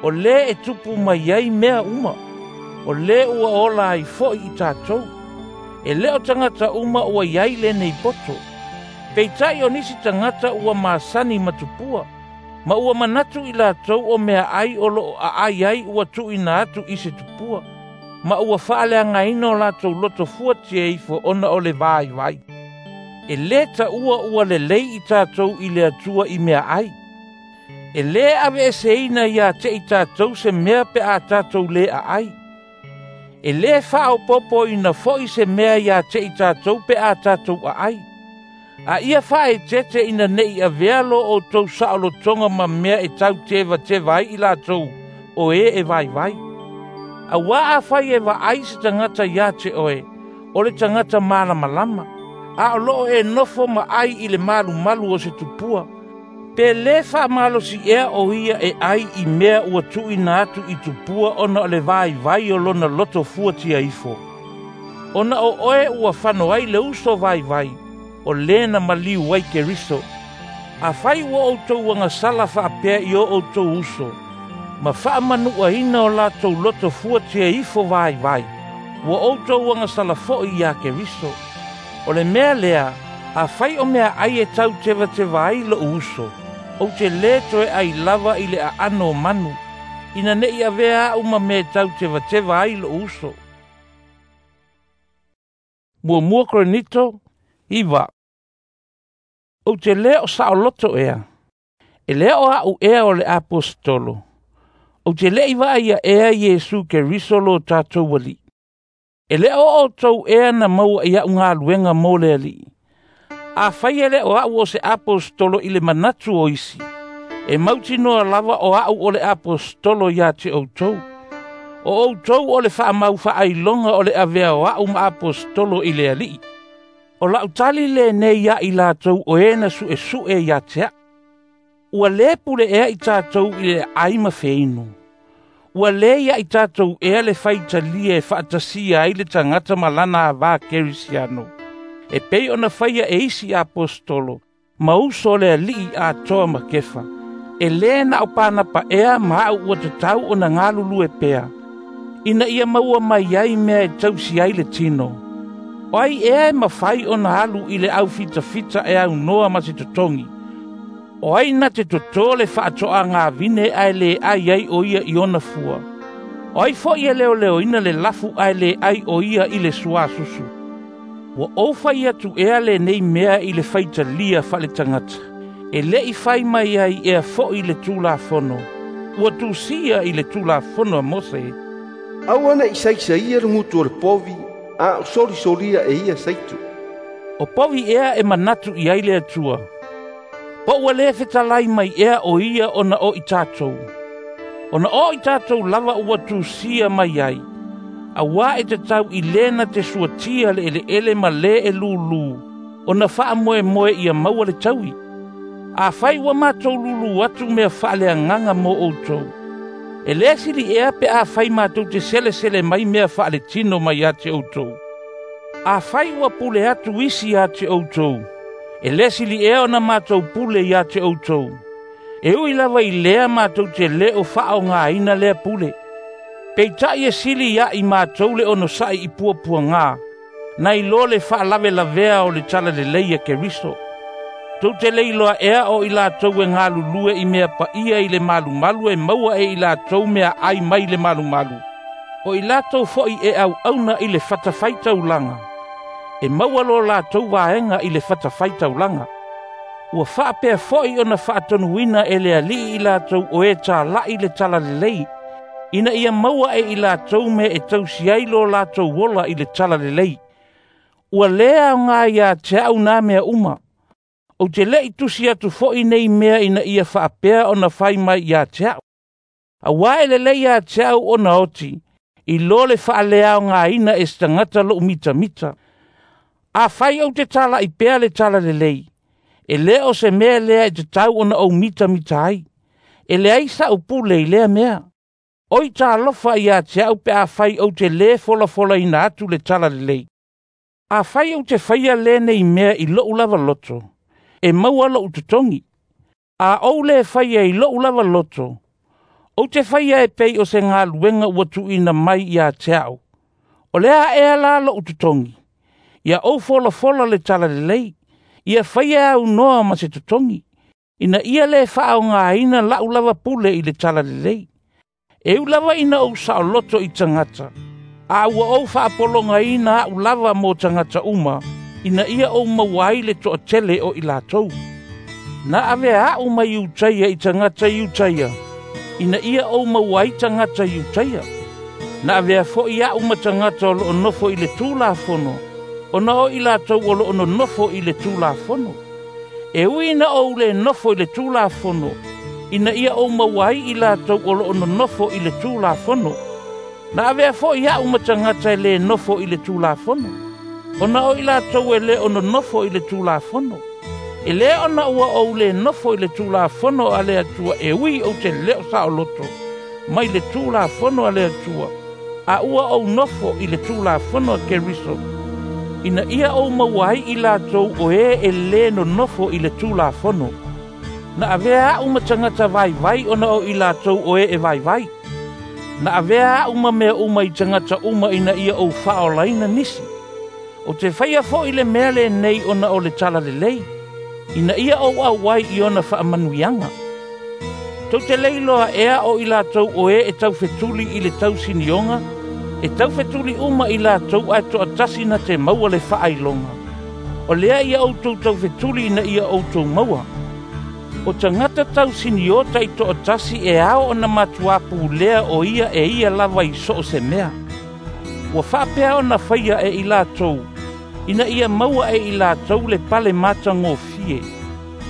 o lē e tupu mai ai mea uma, o lē ua ola ai foi i tatou. E lē o tagata uma ua iai lenei poto. Peitai o nisi tagata ua masani ma tupua, ma ua manatu i latou o meaai o loo aai ai ua tuuina atu i se tupua, ma ua faaleagaina o latou loto fuatia ifo ona o le vaivai. E lē taua ua lelei i tatou i le Atua i meaai. E lē aveeseina ia te i tatou se mea pe a tatou lē aai. E lē faaopopoina foi se mea ia te i tatou pe a tatou aai. A ia faaeteete ina ne'i avea lo outou saolotoga ma mea e tautevateva ai i latou o e e vaivai. Auā afai e vaai se tagata ia te oe, o le tagata malamalama, a o loo e nofo ma ai i le malumalu o se tupua, pe lē faamalosi ea o ia e ai i mea ua tuuina atu i tupua ona o le vaivai o lona loto fuatia ifo. Ona o oe ua fano ai le uso vaivai, o lē na maliu ai Keriso. Afai ua outou agasala faapea i o outou uso, ma faamanuaina o latou loto fuatia ifo vaivai, ua outou agasala foi iā Keriso. O le mea lea, afai o meaai e tautevateva ai lo'u uso, ou te lē toe ai lava i le aano o manu, ina ne'i avea a'u ma mea e tautevateva ai lo'u uso. Muamua Korinito iva. Ou te lē o saoloto ea, e lē o a'u ea o le aposetolo. Ou te lē i vaaia ea Iesu Keriso lo tatou Alii. E lē o outou ea na maua i a'u galuega mo le Alii. Afai e lē o a'u o se aposetolo i le manatu o isi, e mautinoa lava o a'u o le aposetolo ia te outou. O outou o le faamau faailoga o le avea o a'u ma aposetolo i le Alii. O la'u tali lenei ia i latou o e na su'esu'e ia te a'u. Ua lē pule ea i tatou i le aai ma feinu. Ua lē ia i tatou ea le faitalia e faatasia ai le tagata ma lana avā kerisiano, e pei ona faia e isi aposetolo, ma uso o le Alii atoa ma Kefa. E lē na o Panapa ea ma a'u ua tatau ona galulue pea, ina ia maua mai ai mea e tausi ai le tino. O ai ea e mafai ona alu i le aufitafita e aunoa ma se totogi? O ai na te totō le faatoagavine ae lē ai ai o ia i ona fua? O ai foi e leoleoina le lafu ae lē ai o ia i le suasusu? Ua ou fai atu ea lenei mea i le faitalia faaletagata, e lē i fai mai ai ea foi le Tulafono. Ua tusia i le Tulafono a Mose: Aua ne'i saisaia le gutu o le povi, a o solisolia e ia saitu. O povi ea e manatu i ai le Atua? Po ua lē fetalai mai ea o ia ona o i tatou? Ona o i tatou lava ua tusia mai ai, auā e tatau i lē na te suatia le eleele ma lē e lūlū, ona faamoemoe ia maua le taui. Afai ua matou lūlū atu mea faaleagaga mo outou, e lē sili ea pe afai matou te selesele mai mea faaletino mai ia te outou. Afai ua pule atu isi ia te outou, e lē sili ea ona matou pule ia te outou. E ui lava i lea matou te lē o faaogāina lea pule. Peitai e sili ia i matou le onosa'i i puapuagā, nai lo le faalavelavea o le talalelei a Keriso. Tou te le iloa ea o i latou e galulue i mea paia i le malumalu e maua e i latou meaai mai le malumalu. O i latou foi e auauna i le fatafaitaulaga, e maua lo latou vaega i le fatafaitaulaga. Ua faapea foi ona faatonuina e le Alii i latou o e tala'i le talalelei, ina ia maua e i latou mea e tausi ai lo latou ola i le talalelei. Ua lē aogā ia te a'u nā mea uma. Ou te lē i tusi atu foi nei mea ina ia faapea ona fai mai ia te a'u. Auā e lelei ia te a'u ona oti, I lo le faaleaogaina e se tagata lo'u mitamita. Afai ou te tala'i pea le talalelei, e lē o se mea lea e tatau ona ou mitamita ai. E leai sa'u pule i lea mea. Oi talofa iā te a'u pe afai ou te lē folafolaina atu le talalelei. Afai ou te faia lenei mea i lo'u lava loto, e maua lo'u totogi. A ou lē faia i lo'u lava loto, ou te faia e pei o se galuega ua tuuina mai iā te a'u. O le a ea la lo'u totogi? Ia ou folafola le talalelei, ia faia aunoa ma se totogi, ina ia lē faaogaina la'u lava pule i le talalelei. E u lava ina ou saoloto i tagata, a ua ou faapologaina a'u lava mo tagata uma, ina ia ou maua ai le toatele o i latou. Na avea a'u mai Iutaia i tagata Iutaia, ina ia ou maua ai tagata Iutaia. Na avea fo'i a'u ma tagata o lo'o nofo i le Tulafono, ona o i latou o lo'o nonofo i le Tulafono. E ui ina ou lē nofo i le Tulafono, ina ia ou maua ai i latou o lo'o nonofo i le Tulafono. Na avea fo'i a'u ma tagata e lē nofo i le Tulafono, ona o i latou e lē o nonofo i le Tulafono. E lē ona ua ou lē nofo i le Tulafono a le Atua e ui ou te lē o saoloto mai le Tulafono a le Atua, a ua ou nofo i le Tulafono a Keriso, ina ia ou maua ai i latou o ē e lē nonofo i le Tulafono. Na avea a'u ma tagata vaivai ona o i latou o ē e vaivai. Na avea a'u ma mea uma i tagata uma ina ia ou faaolaina nisi. O te faia fo'i le mea lenei ona o le talalelei, ina ia ou auai i ona faamanuiaga. Tou te leiloa ea o i latou o ē e taufetuli i le tausinioga, e taufetuli uma i latou ae to'atasi na te maua le faailoga. O lea ia outou taufetuli ina ia outou maua. O tagata tausinio ta'ito'atasi e ao ona matuā pulea o ia e ia lava i so o se mea. Ua faapea ona faia e i latou, ina ia maua e i latou le pale matagofie,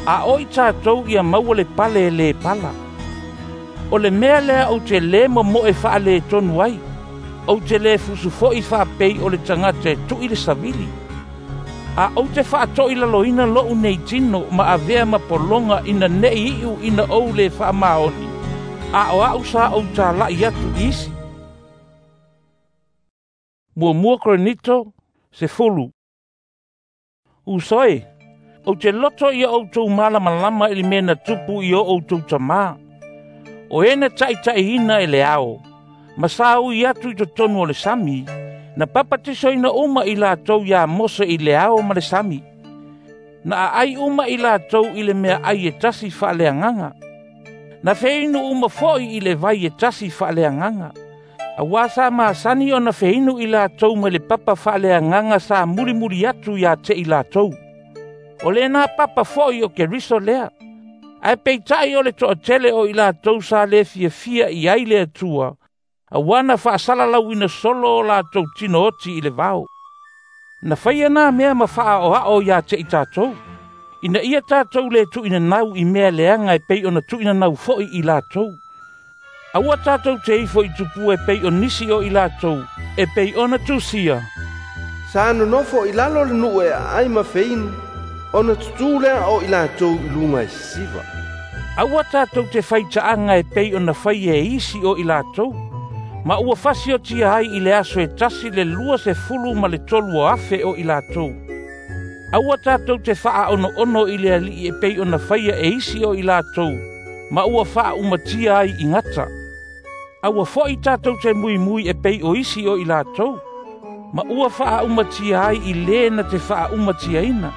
a o i tatou ia maua le pale e lē pala. O le mea lea ou te lē momo'e faaletonu ai, ou te lē fusu fo'i faapei o le tagata e tu'i le savili. A ou te faato'ilaloina lo'u nei tino ma avea ma pologa ina ne'i i'u ina ou lē faamaoni, a o a'u sa ou tala'i atu i isi. Muamua Korinito, sefulu. Uso e, ou te loto ia outou malamalama i le mea na tupu i o outou tamā. O e na ta'ita'iina e le ao, ma sa ui atu i totonu o le sami, na papatisoina uma i latou iā Mose i le ao ma le sami. Na aai uma i latou i le mea ai e tasi faaleagaga. Na feinu uma fo'i i le vai e tasi faaleagaga. Auā sa masani ona feinu i latou mai le papa faaleagaga sa mulimuli atu iā te i latou. O lenā papa fo'i o Keriso lea. Ae peita'i o le to'atele o i latou sa lē fiafia i ai le Atua, auā na faasalalauina solo o latou tinooti i le vao. Na faia nā mea ma faaoa'o iā te i tatou, ina ia tatou lē tu'inanau i mea leaga e pei ona tu'inanau fo'i i latou. Aua tatou te ifo i tupua e pei o nisi o i latou, e pei ona tusia. Sa nonofo i lalo le nu'u e aai ma feinu, ona tutū lea o i latou i luga e sisiva. Aua tatou te faita'aga e pei ona faia e isi o i latou, ma ua fasiotia ai i le aso e tasi le lua sefulu ma le tolu o afe o i latou. Aua tatou te faaono'ono i le ali'i e pei ona faia e isi o i latou, ma ua faaumatia ai i gata. Aua fo'i tatou te muimui e pei o isi o i latou, ma ua faaumatia ai i lē na te faaumatiaina.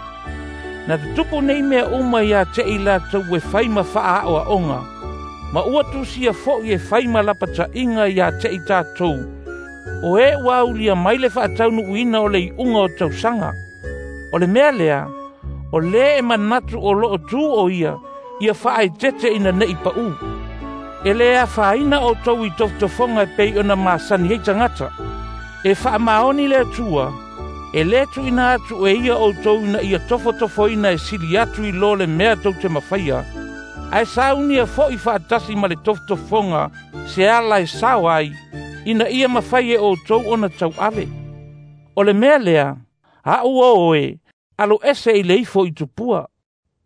Na tutupu nei mea uma iā te i latou e fai ma faaa'oa'oga, ma ua tusia fo'i e fai ma lapata'iga iā te i tatou, o e ua aulia mai le faataunu'uina o le i'uga o tausaga. O le mea lea, o lē e manatu o lo'o tū o ia, ia faaetete ina ne'i pa'ū. E lē afaina outou i tofotofoga e pei ona masani ai tagata. E faamaoni le Atua, e lē tu'uina atu e ia outou ina ia tofotofoina e sili atu i lo le mea tou te mafaia, ae saunia fo'i faatasi ma le tofotofoga se ala e sao ai, ina ia mafai e outou ona tauave. O le mea lea, a'u o oe, alo ese i le ifo i tupua.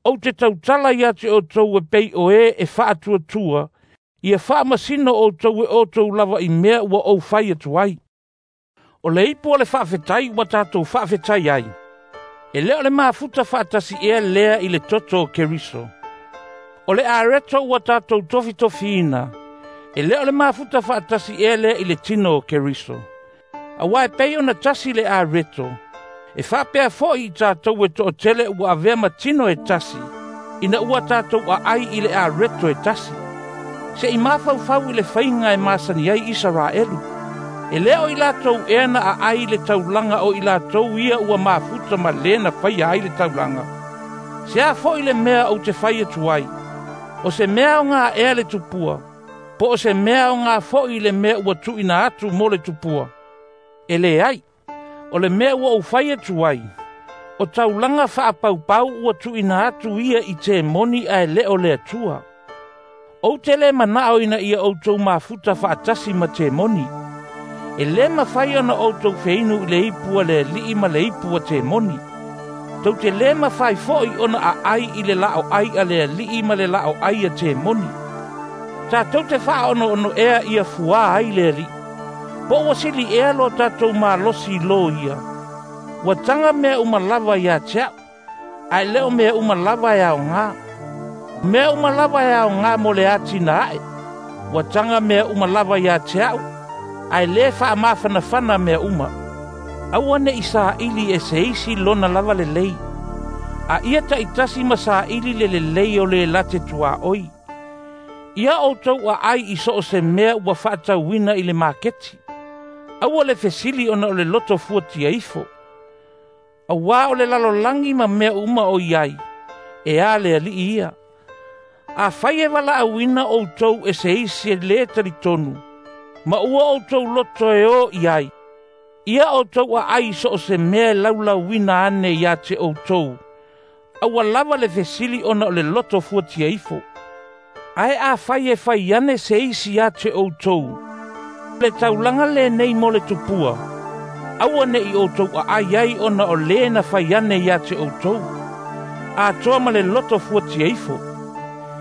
Ou te tautala ia te outou e pei o e e faatuatua, ia faamasino outou e outou lava i mea ua ou fai atu ai. O le ipu o le faafetai ua tatou faafetai ai, e le o le mafuta faatasi ea lea i le toto o Keriso. O le areto ua tatou tofitofiina, e le o le mafuta faatasi ea lea i le tino o Keriso. Auā e pei ona tasi le areto, e faapea fo'i i tatou e to'atele ua avea ma tino e tasi, ina ua tatou aai i le areto e tasi. Se'i mafaufau i le faiga e masani ai Isaraelu. E le o i latou ea na aai i le taulaga o i latou ia ua mafuta ma lē na faia ai le taulaga. Se a fo'i le mea ou te fai atu ai, o se mea aogā ea le tupua, po o se mea aogā fo'i le mea ua tuuina atu mo le tupua? E leai, o le mea ua ou fai atu ai, o taulaga faapaupau ua tuuina atu ia i temoni ae le o le Atua. Ou te lē mana'o ina ia outou mafuta faatasi ma temoni. E lē mafai ona outou feinu i le ipu a le Alii ma le ipu a temoni. Tou te lē mafai fo'i ona aai i le lao'ai a le Alii ma le lao'ai a temoni. Tatou te faaonoono ea ia fuā ai le Alii. Po ua sili ea lo tatou malosi i lō ia. Ua taga mea uma lava iā te a'u, ae le o mea uma lava e aogā. Mea uma lava e aogā mo le atina'e. Ua taga mea uma lava iā te a'u, ae lē faamafanafana mea uma. Aua ne'i saili e se isi lona lava lelei, a ia ta'itasi ma saili le lelei o le late tuaʻoi. Ia outou aai i so o se mea ua faatauina i le maketi. Aua le fesili ona o le loto fuatia ifo. Auā o le lalolagi ma mea uma o i ai, e a le Alii ia. Afai e valaauina outou e se isi e lē talitonu, ma ua outou loto e o i ai, ia outou aai i so o se mea e laulauina ane iā te outou, aua lava le fesili ona o le loto fuatia ifo. Ae afai e fai ane se isi iā te outou, le taulaga lenei mo le tupua, aua ne'i outou aai ai ona o lē na fai ane iā te outou, atoa ma le loto fuatia ifo.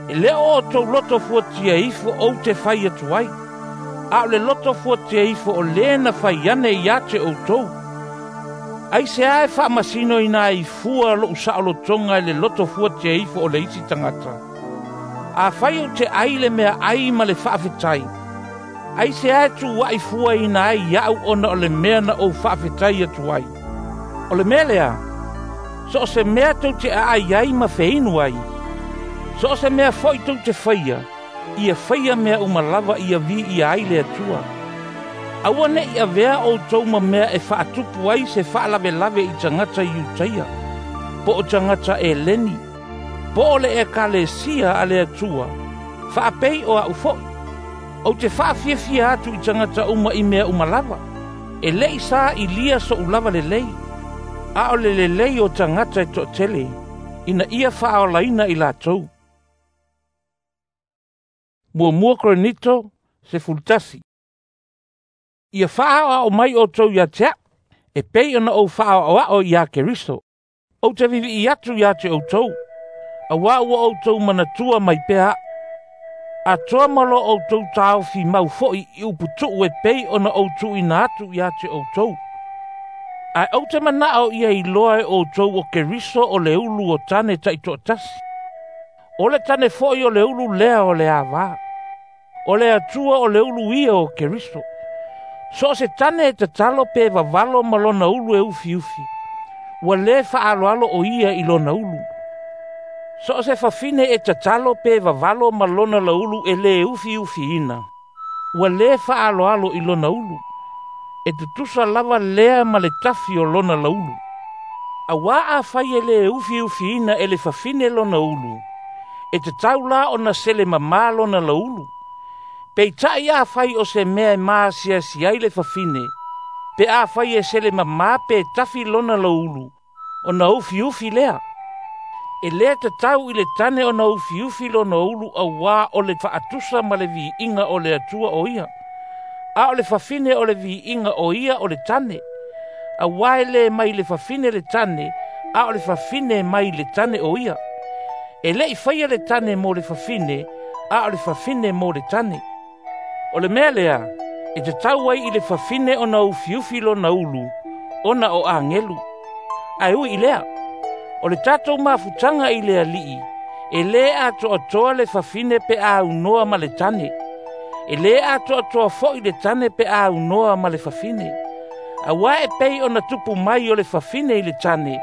E le o outou loto fuatia ifo ou te fai atu ai, a o le loto fuatia ifo o lē na fai ane iā te outou. Aisea e faamasinoina ai fua lo'u saolotoga i le loto fuatia ifo o le isi tagata? Afai ou te ai le mea ai ma le faafetai, aisea e tuua'i fuaina ai iaʻu ona o le mea na ou faafetai atu ai? O le mea lea, so o se mea tou te aai ai ma feinu ai, so o se mea fo'i tou te faia, ia faia mea uma lava ia viia ai le Atua. Aua ne'i avea outou ma mea e faatupu ai se faalavelave i tagata Iutaia, po o tagata Eleni, po o le Ekalesia a le Atua, faapei o a'u fo'i. Ou te faafiafia atu i tagata uma i mea uma lava. E le'i saʻilia soʻu lava lelei, a o le lelei o tagata e toʻatele, ina ia faaolaina i latou. Muamua Korinito sefulutasi. Ia faaoao mai outou iā te a'u, e pei ona ou faaoaoa'o iā Keriso. Ou te vivi'i atu iā te outou, auā ua outou manatua mai pea a'u. Atoa ma lo outou taofi mau fo'i i uputu'u e pei ona ou tuuina atu iā te outou. Ae ou te mana'o ia iloa e outou o Keriso o le ulu o tane ta'itoatasi. O le tane fo'i o le ulu lea o le avā. O le Atua o le ulu ia o Keriso. So o se tane e tatalo pe vavalo ma lona ulu e ufiufi, ua lē faaaloalo o ia i lona ulu. So o se fafine e tatalo pe vavalo ma lona laulu e lē ufiufiina, ua lē faaaloalo i lona ulu. E tutusa lava lea ma le tafi o lona laulu. Auā afai e lē ufiufiina e le fafine lona ulu, e tatau la ona sele mamā lona laulu. Peitaʻi afai o se mea e maasiasi ai le fafine, pe afai e sele mamā pe tafi lona laulu, ona ufiufi lea. E lē tatau i le tane ona ufiufi lona ulu auā o le faatusa ma le viiga o le Atua o ia. A o le fafine o le viiga o ia o le tane. Auā e lē mai le fafine le tane, a o le fafine mai le tane o ia. E le'i faia le tane mo le fafine, a o le fafine mo le tane. O le mea lea, e tatau ai i le fafine ona ufiufi lona ulu, ona o agelu. Ae ui i lea, o le tatou mafutaga i le Alii, e lē atoatoa le fafine pe a aunoa ma le tane. E lē atoatoa fo'i le tane pe a aunoa ma le fafine. Auā e pei ona tupu mai o le fafine i le tane,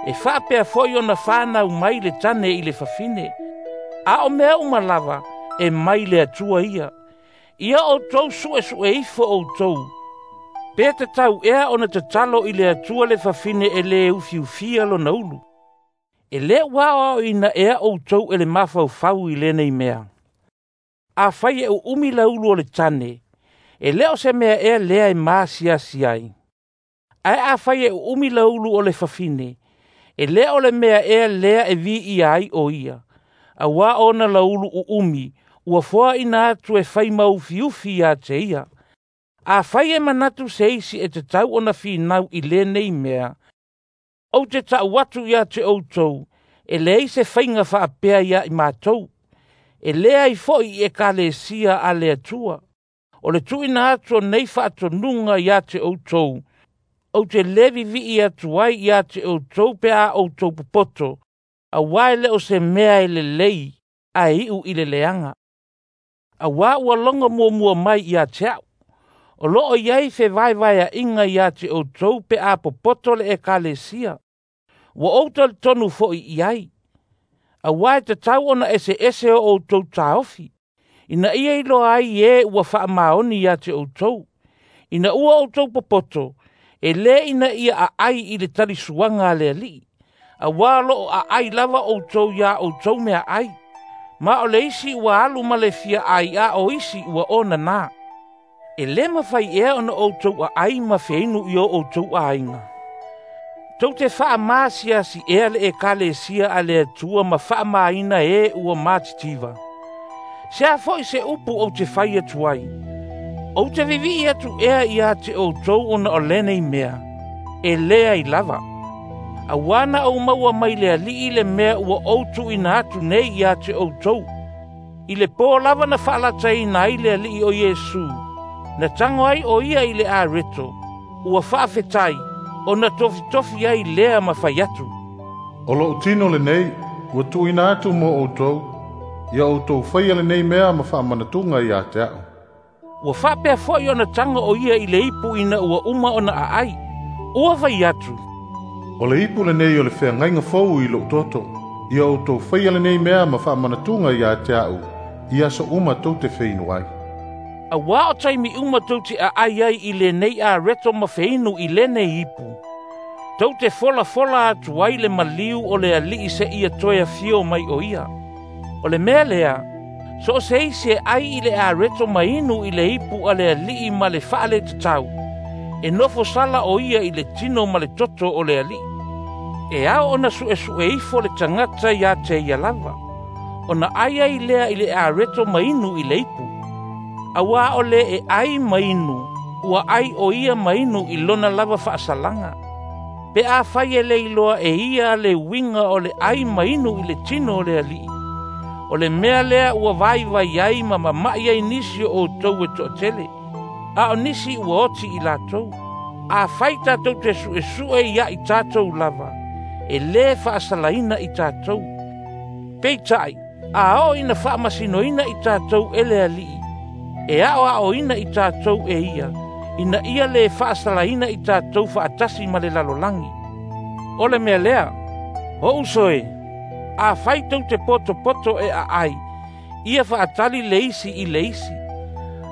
e faapea fo'i ona fanau mai le tane i le fafine. A o mea uma lava, e mai le Atua ia. Ia outou su'esu'e ifo outou, pe tatau ea ona tatalo i le Atua le fafine e lē ufiufia lona ulu. E lē ua aoaoina ea outou e le mafaufau i lenei mea. Afai e u'umi le ulu o le tane, e lē o se mea ea lea e masiasi ai. Ae afai e u'umi le ulu o le fafine, e lē o le mea ea lea e viia ai o ia, auā ona laulu u'umi ua foaʻina atu e fai ma ufiufi ia te ia. Afai e manatu se isi e tatau ona finau i lenei mea, ou te ta'u atu ia te outou, e leai se faiga faapea ia i matou. E leai fo'i i ekalesia a le Atua. O le tuuina atu o nei faatonuga ia te outou, ou te lē vivi'i atu ai ia te outou pe a outou popoto, auā e lē o se mea e lelei ae iʻu i le leaga. Auā ua logo muamua mai ia te a'u, o loo i ai fevaevaeaʻiga ia te outou pe a popoto le ekalesia. Ua ou talitonu fo'i i ai. Auā e tatau ona eseese o outou taofi, ina ia iloa ai e ua faamaoni ia te outou. Ina ua outou popoto, e lē ina ia aʻai i le talisuaga a le Alii, auā o loo aʻai lava outou iā outou meaʻai. Ma o le isi ua alu ma le fia ai a o isi ua onanā. E lē mafai ea ona outou aʻai ma feinu i o outou aiga. Tou te faamasiasi ea le ekalesia a le Atua ma faamāina e ua matitiva. Se a fo'i se upu ou te fai atu ai. Ou te vivi'i atu ea ia te outou ona o lenei mea, e leai lava. Auā na ou maua mai le Alii le mea ua ou tuuina atu nei ia te outou. I le pō lava na faalataina ai le Alii o Iesu, na tago ai o ia i le areto, ua faafetai, ona tofitofi ai lea ma fai atu. O lo'u tino lenei, ua tuuina atu mo outou, ia outou faia lenei mea ma faamanatuga ia te a'u. Ua faapea fo'i ona tago o ia i le ipu ina ua uma ona aʻai. Ua fai atu. O le ipu lenei o le feagaiga fou i lo'u toto, ia outou faia lenei mea ma faamanatuga ia te a'u, i aso uma tou te feinu ai. Auā o taimi uma tou te aʻai ai i lenei areto ma feinu i lenei ipu, tou te folafola atu ai le maliu o le Alii seia toe afio mai o ia. O le mea lea, so o se isi e ai i le areto ma inu i le ipu a le Alii ma le faaletatau, e nofo sala o ia i le tino ma le toto o le Alii. E ao ona su'esu'e ifo le tagata ia te ia lava, ona ai ai lea i le areto ma inu i le ipu. Auā o le e ai ma inu, ua ai o ia ma inu i lona lava faasalaga. Pe afai e le iloa e ia le uiga o le ai ma inu i le tino o le Alii, o le mea lea ua vaivai ai ma mama'i ai nisi o outou e toatele, a o nisi ua oti i latou. Afai tatou te su'esu'e ia i tatou lava, e lē faasalaina i tatou. Peitai, a oo ina faamasinoina i tatou e le Alii, e aoaoina i tatou e ia, ina ia lē faasalaina i tatou faatasi ma le lalolagi. O le mea lea, o uso e, afai tou te potopoto e aʻai, ia faatali le isi i le isi.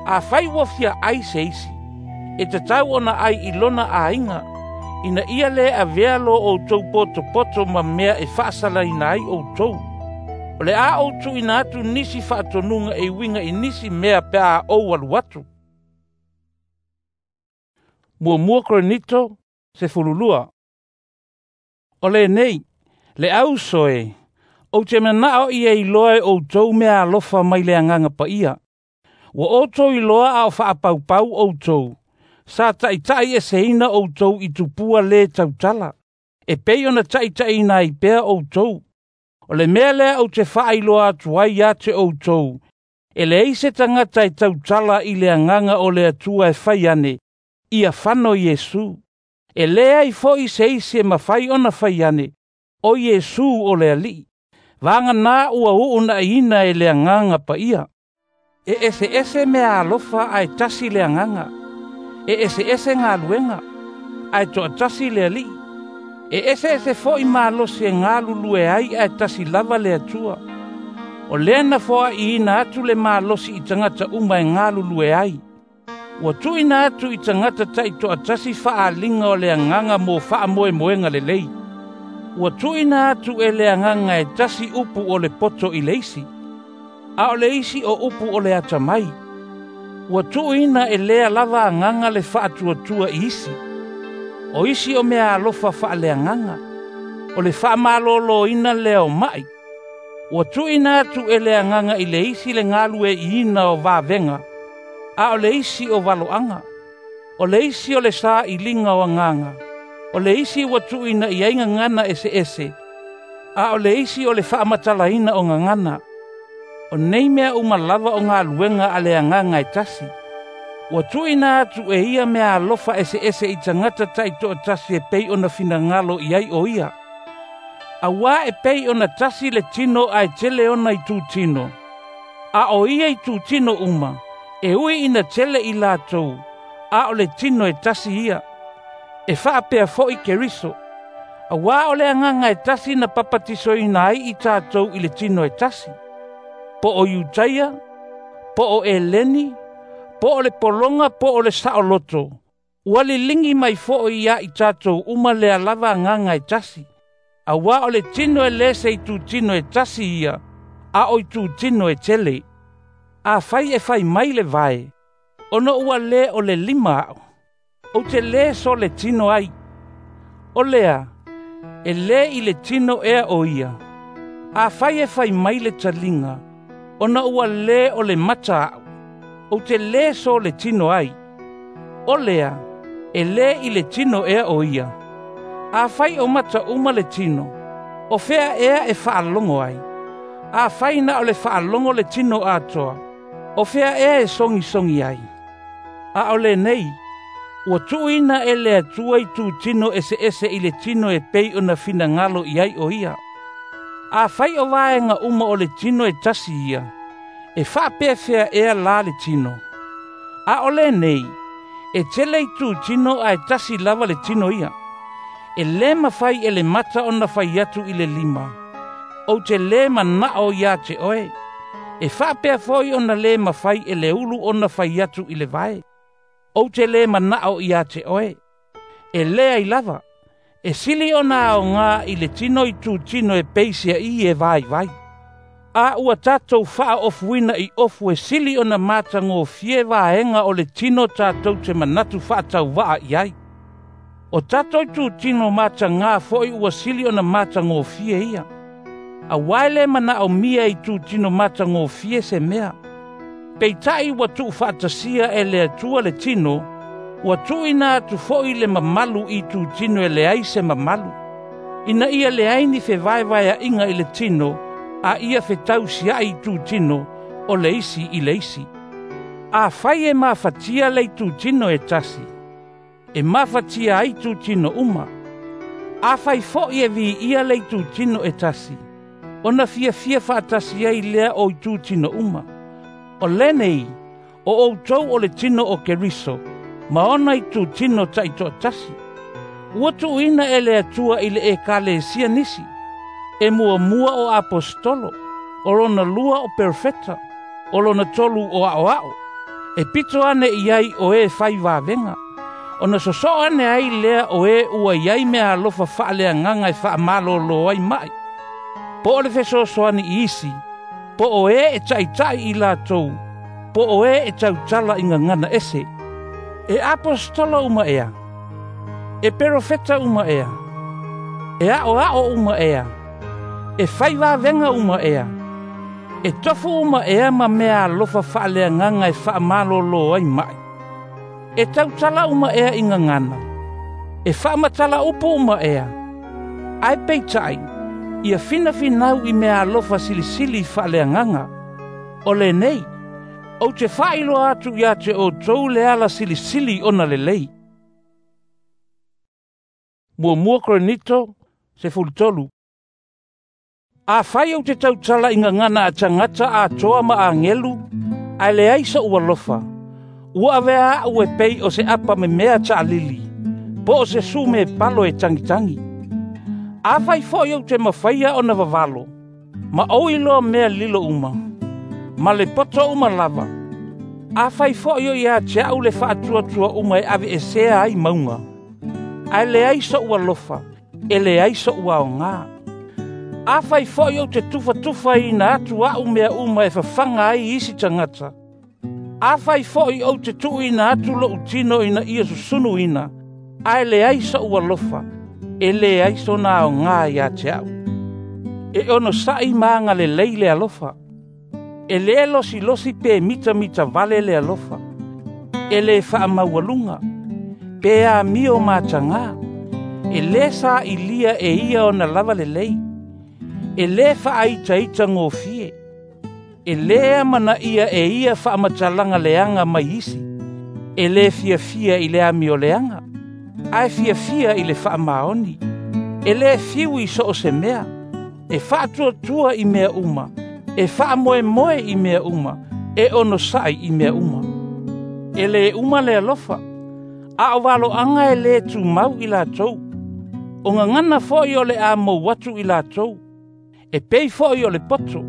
Afai ua fia ai se isi, e tatau ona ai i lona aiga, ina ia lē avea lo outou potopoto ma mea e faasalaina ai outou. O le a ou tuuina atu nisi faatonuga e uiga i nisi mea pe a ou alu atu. Muamua Korinito sefululua. O lenei, le auso e, ou te manao ia iloa e outou mea alofa mai le agaga paia. Ua outou iloa a o faapaupau outou, sa taʻitaʻi eseina outou i tupua lē tautala, e pei ona taʻitaʻiina ai pea outou. O le mea lea ou te faailoa atu ai ia te outou, e leai se tagata e tautala i le agaga o le Atua e fai ane, “Ia fano Iesu.” E leai foi se isi e mafai ona fai ane, “O Iesu o le Alii,” vagana ua uunaʻiina e le Agaga Paia. E eseese meaalofa ae tasi le Agaga. E eseese galuega, ae toatasi le Alii. E eseese foi malosi e galulue ai ae tasi lava le Atua. O lea na foaʻiina atu le malosi i tagata uma e galulue ai. Ua tuuina atu i tagata taitoatasi faaaliga o le Agaga mo faamoemoega lelei. Ua tuuina atu e le Agaga e tasi upu o le poto i le isi, a o le isi o upu o le atamai. Ua tuuina e lea lava Agaga le faatuatua i isi. O isi o meaalofa faaleagaga, o le faamalōlōina lea o maʻi. Ua tuuina atu e le Agaga i le isi le galueaiina o vavega, a o le isi o valoaga. O le isi o le sailiga o agaga, o le isi ua tuuina i ai gagana eseese, a o le isi o le faamatalaina o gagana. O nei mea uma lava o galuega a le Agaga e tasi. Ua tuuina atu e ia meaalofa eseese i tagata taitoatasi e pei ona finagalo i ai o ia. Auā e pei ona tasi le tino ae tele ona itutino, a o ia itutino uma, e ui ina tele i latou, a o le tino e tasi ia. E faapea foi Keriso. Auā o le Agaga e tasi na papatisoina ai i tatou i le tino e tasi. Po o Iutaia, po o Eleni, po o le pologa po o le saoloto, ua liligi mai foi ia i tatou uma lea lava Agaga e tasi. Auā o le tino e lē se itutino e tasi ia, a o itutino e tele. Afai e fai mai le vae, ona ua lē o le lima aʻu, ou te lē so le tino ai. O lea, e lē i le tino ea o ia. Afai e fai mai le taliga, ona ua lē o le mata aʻu, ou te lē so le tino ai. O lea, e lē i le tino ea o ia. Afai o mata uma le tino, o fea ea e faalogo ai? Afai na o le faalogo le tino atoa, o fea ea e sogisogi ai? A o lenei, ua tuuina e le Atua itutino eseese i le tino e pei ona finagalo i ai o ia. Afai o vaega uma o le tino e tasi ia, e faapefea ea la le tino? A o lenei, e tele itutino ae tasi lava le tino ia. E lē mafai e le mata ona fai atu i le lima, “Ou te lē manaʻo iā te oe.” E faapea foi ona lē mafai e le ulu ona fai atu i le vae, “Ou te lē manaʻo iā te oe.” E leai lava, e sili ona aogā i le tino itutino e peisiaʻī e vaivai. A ua tatou faaofuina i ofu e sili ona matagofie vaega o le tino tatou te manatu faatauva'a i ai. O tatou itutino matagā foi ua sili ona matagofie ia. Auā e lē manaʻomia e itutino matagofie se mea. Peitaʻi ua tuufaatasia e le Atua le tino, ua tuuina atu foi le mamalu i itutino e leai se mamalu, ina ia leai ni fevaevaeaʻiga i le tino, a ia fetausiaʻi itutino o le isi i le isi. Afai e mafatia le itutino e tasi, e mafatia ai itutino uma. Afai foi e viia le itutino e tasi, ona fiafia faatasi ai lea o itutino uma. O lenei, o outou o le tino o Keriso, ma ona itutino taitoatasi. Ua tuuina e le Atua i le ekalesia nisi, e muamua o aposetolo, o lona lua o perofeta, o lona tolu o aʻoaʻo, e pito ane i ai o e fai vavega, ona sosoo ane ai lea o e ua i ai meaalofa faaleagaga e faamalōlō ai maʻi. Po o le fesoasoani i isi, po o e e taʻitaʻi i latou, po o e e tautala i gagana ese. E aposetolo uma ea, e perofeta uma ea, e aʻoaʻo uma ea, e fai vavega uma ea, E tofu uma ea ma mea alofa faaleagaga e faamalōlō ai maʻi. E tautala uma ea i gagana. E faamatala upu uma ea. Ae peitaʻi, ia finafinau i mea alofa silisili faaleagaga. O lenei, ou te faailoa atu ia te outou le ala silisili ona lelei. Muamua Korinito, sefulutolu. Afai ou te tautala i gagana a tagata atoa ma agelu, ae leai soʻu alofa, ua avea aʻu e pei o se apa memea taʻalili, po o se sume palo e tagitagi. Afai foʻi ou te mafaia ona vavalo, ma ou iloa mea lilo uma, ma le poto uma lava. Afai foʻi o ia te aʻu le faatuatua uma e aveesea ai mauga, ae leai soʻu alofa, e leai soʻu aogā. Afai foʻi ou te tufatufaina atu aʻu mea uma e fafaga ai isi tagata. Afai foʻi ou te tuuina atu loʻu tino ina ia susunuina, ae leai soʻu alofa, e leai sona aogā iā te aʻu. E onosaʻi ma agalelei le alofa. E lē losilosi pe mitamita vale le alofa. E lē faamaualuga, pe amio matagā. E lē saʻilia e ia ona lava lelei. E lē faaitaita gofie. E lē amanaia e ia faamatalaga leaga mai isi. E lē fiafia i le amioleaga, ae fiafia i le faamaoni. E lē fiu i so o se mea. E faatuatua i mea uma. E faamoemoe i mea uma. E onosaʻi i mea uma. E lē uma le alofa, a o valoaga e lē tumau i latou. O gagana foʻi o le a mou atu i latou. E pei foʻi o le poto,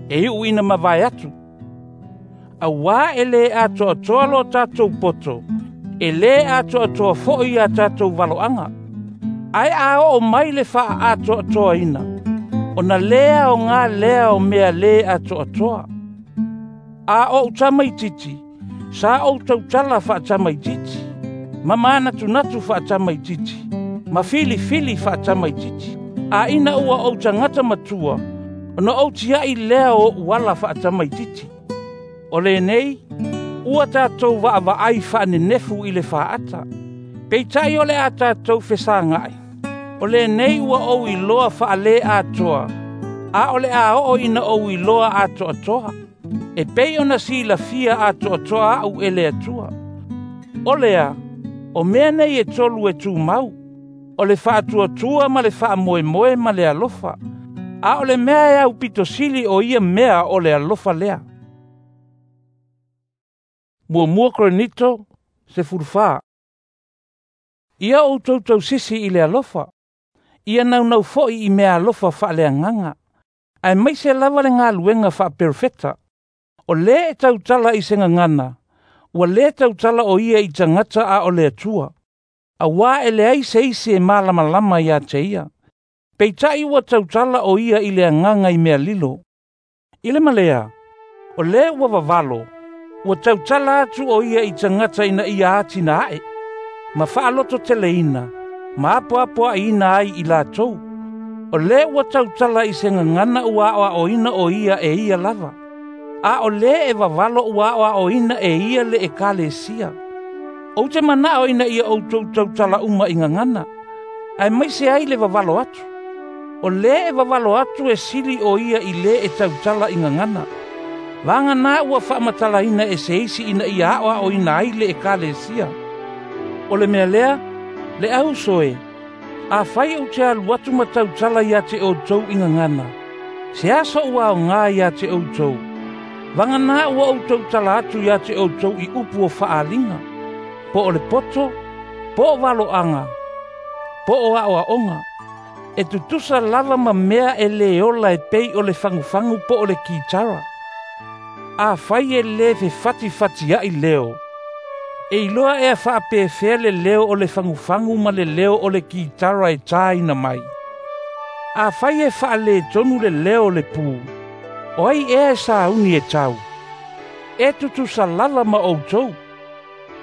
e iʻu ina mavae atu. Auā e lē atoatoa lo tatou poto, e lē atoatoa foʻi ia tatou valoaga. Ae a oo mai le faaatoatoaina, ona lē aogā lea o mea lē atoatoa. A oʻu tamaititi, sa ou tautala faatamaititi, ma manatunatu faatamaititi, ma filifili faatamaititi. A ina ua ou tagata matua, ona ou tiaʻi lea o oʻu ala faatamaititi. O lenei, ua tatou vaavaai faanenefu i le faata. Peitaʻi o le a tatou fesagaʻi. O lenei ua ou iloa faalē atoa, a o le a oo ina ou iloa atoatoa. E pei ona silafia atoatoa aʻu e le Atua. O lea, o mea nei e tolu e tumau, o le faatuatua ma le faamoemoe ma le alofa. A o le mea e aupito sili o ia mea o le alofa lea. Muamua Korinito, sefulufā. Ia outou tausisi i le alofa, ia naunau foʻi i mea alofa faaleagaga, aemaise lava le galuega faaperofeta. O lē e tautala i se gagana, ua lē tautala o ia i tagata a o le Atua. Auā e leai se isi e malamalama iā te ia. Peitaʻi ua tautala o ia i le agaga i mea lilo. I le malea, o lē ua vavalo, ua tautala atu o ia i tagata ina ia atina aʻe, ma faalototeleina, ma apoapoaʻiina ai i latou. O lē ua tautala i se gagana ua aʻoaʻoina o ia e ia lava. A o lē e vavalo ua aʻoaʻoina e ia le ekalesia. Ou te manaʻo ina ia outou tautala uma i gagana, aemaise ai le vavalo atu. O lē e vavalo atu e sili o ia i lē e tautala i gagana. Vaganā ua faamatalaina e se isi ina ia aʻoaʻoina ai le ekalesia. O le mea lea, le auso e, afai ou te alu atu ma tautala ia te outou i gagana, se aso ua aogā ia te outou. Vaganā ua ou tautala atu ia te outou i upu o faaliga, po o le poto, po o valoaga, po o aʻoaʻoga. E tutusa lava ma mea e lē ola e pei o le fagufagu po o le kitara. Afai e lē fefatifatiaʻi leo, e iloa ea faapefea le leo o le fagufagu ma le leo o le kitara e tāina mai. Afai e faaletonu le leo o le pū, o ai ea e sauni e tau. E tutusa lava ma outou.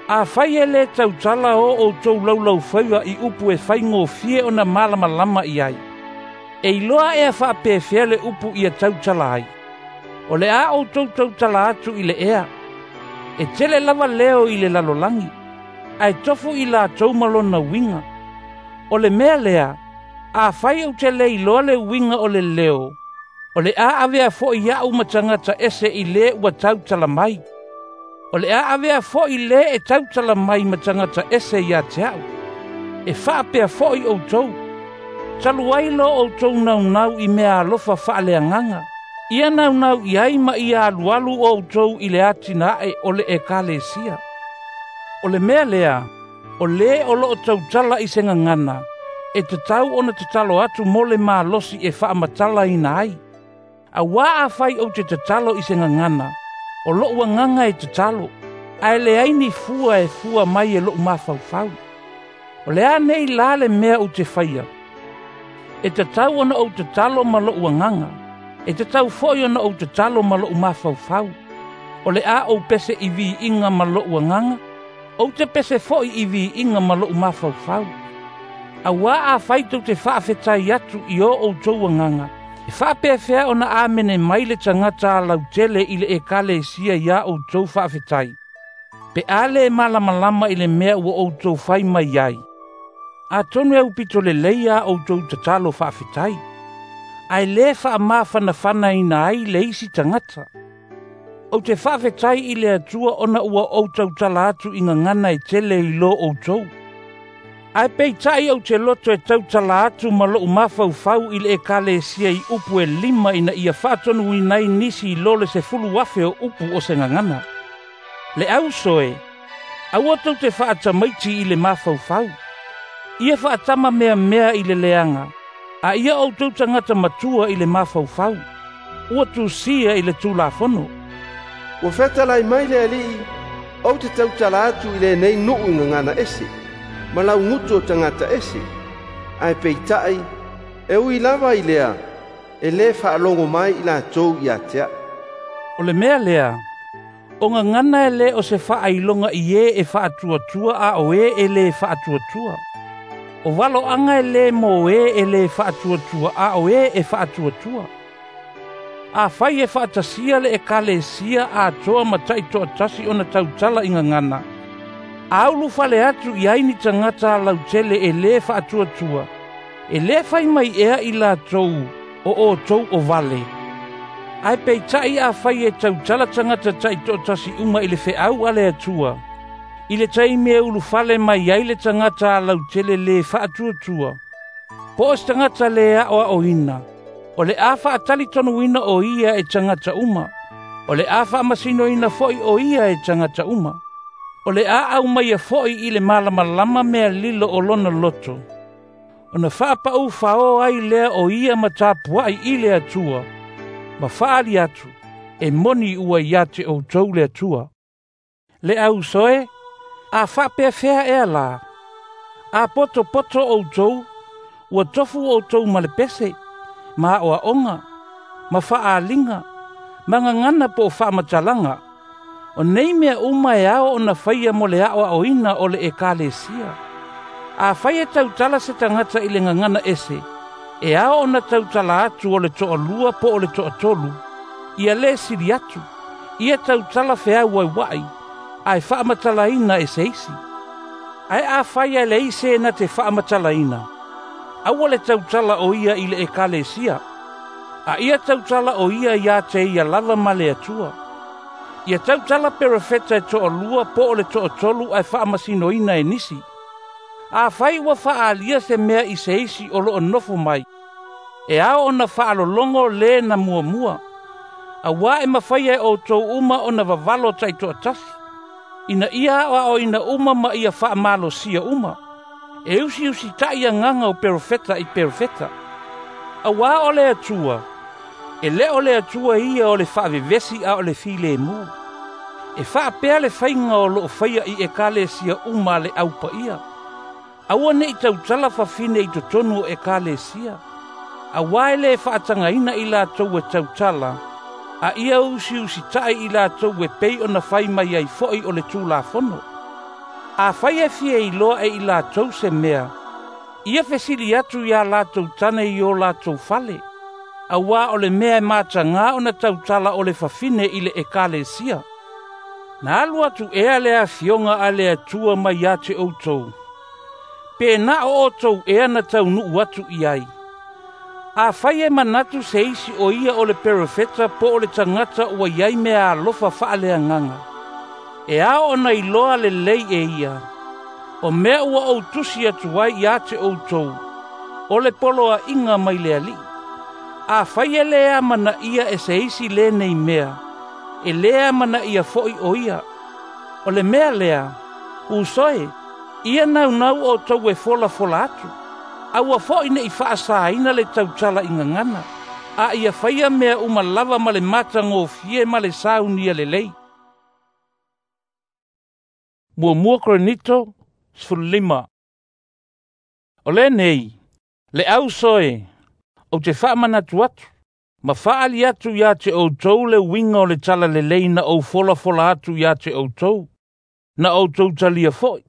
Afai e lē tautala o outou laulaufaiva i upu e faigofie ona malamalama i ai, e iloa ea faapefea le upu ia tautala ai. O le a outou tautala atu i le ea, e tele lava leo i le lalolagi, ae tofu i latou ma lona uiga. O le mea lea, afai ou te le iloa le uiga o le leo, o le a avea foi a'u ma tagata ese i le ua tautala mai. O le a avea foi le e tautala mai ma tagata ese ia te a'u. E faapea foi outou, talu ai lo outou naunau i mea alofa faaleagaga, ia naunau i ai ma ia alualu outou i le atinae o le ekalesia. O le mea lea, o le o loo tautala i se gagana, e tatau ona tatalo atu mo le malosi e faamatalaina ai. Auā afai ou te tatalo i se gagana, o lou agaga e tatalo, ae leai ni fua e fua mai e lou mafaufau. O le a nei la le mea ou te faia? E tatau ona ou tatalo ma lou agaga, e tatau foi ona ou tatalo ma lou mafaufau. O le a ou pese i viiga ma lou agaga, ou te pese foi i viiga ma lou mafaufau. Auā afai tou te faafetai atu i o outou agaga, e faapefea ona amene mai le tagata lautele i le ekalesia iā outou faafetai, pe a le malamalama i le mea ua outou fai mai ai. Atonu e aupito lelei a outou tatalo faafetai, ae lē faamafanafanaina ai le isi tagata. Ou te faafetai i le Atua ona ua ou tautala atu i gagana e tele i lo outou. Ae peitai ou te loto e tautala atu ma lou mafaufau i le ekalesia i upu e lima ina ia faatonuina ai nisi i lo le sefulu afe o upu o se gagana. Le auso e, aua tou te faatamaiti i le mafaufau. Ia faatama meamea i le leaga, a ia outou tagata matua i le mafaufau. Ua tusia i le Tulafono. Ua fetalai mai le Alii, ou te tautala atu i lenei nuu i gagana ese, ma laugutu o tagata ese. Ae peitai, e ui lava i lea, e lē faalogo mai i latou ia te a'u. O le mea lea, o gagana e lē o se faailoga i e e faatuatua a o e e lē faatuatua. O valoaga e lē mo e e lē faatuatua a o e e faatuatua. Afai e faatasia le ekalesia atoa ma taitoatasi ona tautala i gagana, a ulufale atu i ai ni tagata lautele e lē faatuatua, e lē fai mai ea i latou o outou o vale. Ae peitai afai e tautala tagata taitoatasi uma i le feau a le Atua, i le taimi e ulufale mai ai le tagata lautele lē faatuatua, po o se tagata lē aoaoina, o le a faatalitonuina o ia e tagata uma, o le a faamasinoina foi o ia e tagata uma. O le a aumaia foi i le malamalama mea lilo o lona loto, ona faapaʻu faoa ai lea o ia ma tapuaʻi i le Atua, ma faali atu, e moni ua ia te outou le Atua. Le auso e, a faapefea ea lā, a potopoto outou, ua tofu outou ma le pese, ma aoaoga, ma faaaliga, ma gagana po o faamatalaga. O nei mea uma e ao ona faia mo le aoaoina o le ekalesia. Afai e tautala se tagata i le gagana ese, e ao ona tautala atu o le toalua po o le toatolu, ia lē sili atu, ia tautala feauauaʻi, ae faamatalaina e se isi. Ae afai e leai se na te faamatalaina, aua le tautala o ia i le ekalesia, a ia tautala o ia ia te ia lava ma le Atua. Ia tautala perofeta e toalua po o le toatolu ae faamasinoina e nisi. Afai ua faaalia se mea i se isi o loo nofo mai, e ao ona faalologo le na muamua, auā e mafaia e outou uma ona vavalo taitoatasi, ina ia aoaoina uma ma ia faamalosia uma. E usiusitaʻi agaga o perofeta i perofeta. Auā o le Atua, e lē o le Atua ia o le faavevesi a o le filemu. E faapea le faiga o loo faia i ekalesia uma a le aupaia. Aua neʻi tautala fafine i totonu o ekalesia, auā e lē faatagaina i latou e tautala, a ia usiusitaʻi i latou e pei ona fai mai ai foi o le Tulafono. Afai e fia iloa e i latou se mea, ia fesili atu iā latou tane i o latou fale, Auā o le mea e matagā ona tautala o le fafine i le ekalesia. Na alu atu ea le afioga a le Atua mai ia te outou. Pe na o outou ea na taunuu atu i ai. Afai e manatu se isi o ia o le perofeta po o le tagata ua i ai meaalofa faaleagaga, e ao ona iloa lelei e ia, o mea ua ou tusi atu ai ia te outou, o le poloaiga mai le Alii. Afai e lē amanaia e se isi lenei mea, e lē amanaia foʻi o ia. O le mea lea, uso e, ia naunau outou e folafola atu. Aua foʻi neʻi faasaina le tautala i gagana, a ia faia mea uma lava ma le matagofie ma le saunia lelei. Muamua Korinito sefululima. O lenei, le auso e, ou te faamanatu atu, ma faaali atu ia te outou le uiga o le talalelei na ou folafola atu ia te outou, na outou talia foʻi,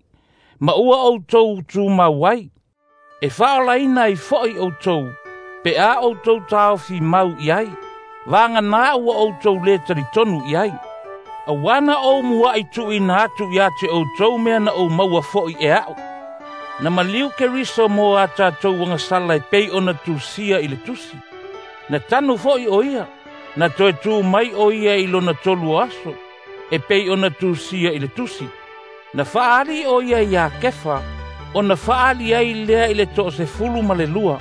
ma ua outou tumau ai, e faaolaina ai foʻi outou, pe a outou taofi mau i ai, vaganā ua outou lē talitonu i ai. Auā na ou muaʻi tuuina atu ia te outou mea na ou maua foʻi e aʻu. Na maliu Keriso mo a tatou agasala e pei ona tusia i le tusi. Na tanu foʻi o ia, na toe tu mai o ia i lona tolu o aso, e pei ona tusia i le tusi. Na faaali o ia iā Kefa, ona faaali ai lea i le toasefulu ma le lua.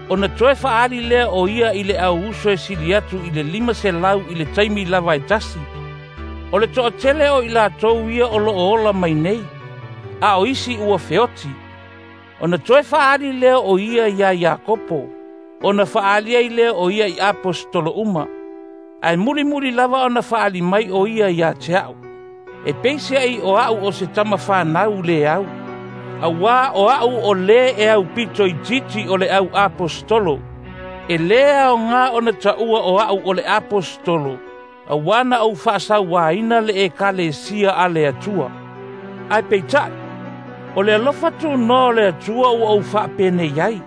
Ona toe faaali lea o ia i le auuso e sili atu i le lima selau i le taimi lava e tasi. O le toatele o i latou ia o loo ola mai nei, a o isi ua feoti. Ona toe faaali lea o ia iā Iakopo, ona faaali ai lea o ia i aposetolo uma. Ae mulimuli lava ona faaali mai o ia iā te aʻu. E peiseai o aʻu o se tama fanau lē au. Auā o aʻu o lē e aupito itiiti o le au aposetolo. E lē aogā ona taua o aʻu o le aposetolo, auā na ou faasauāina le ekalesia a le Atua. Ae peitaʻi, o le alofa tunoa o le Atua ua ou faapenei ai.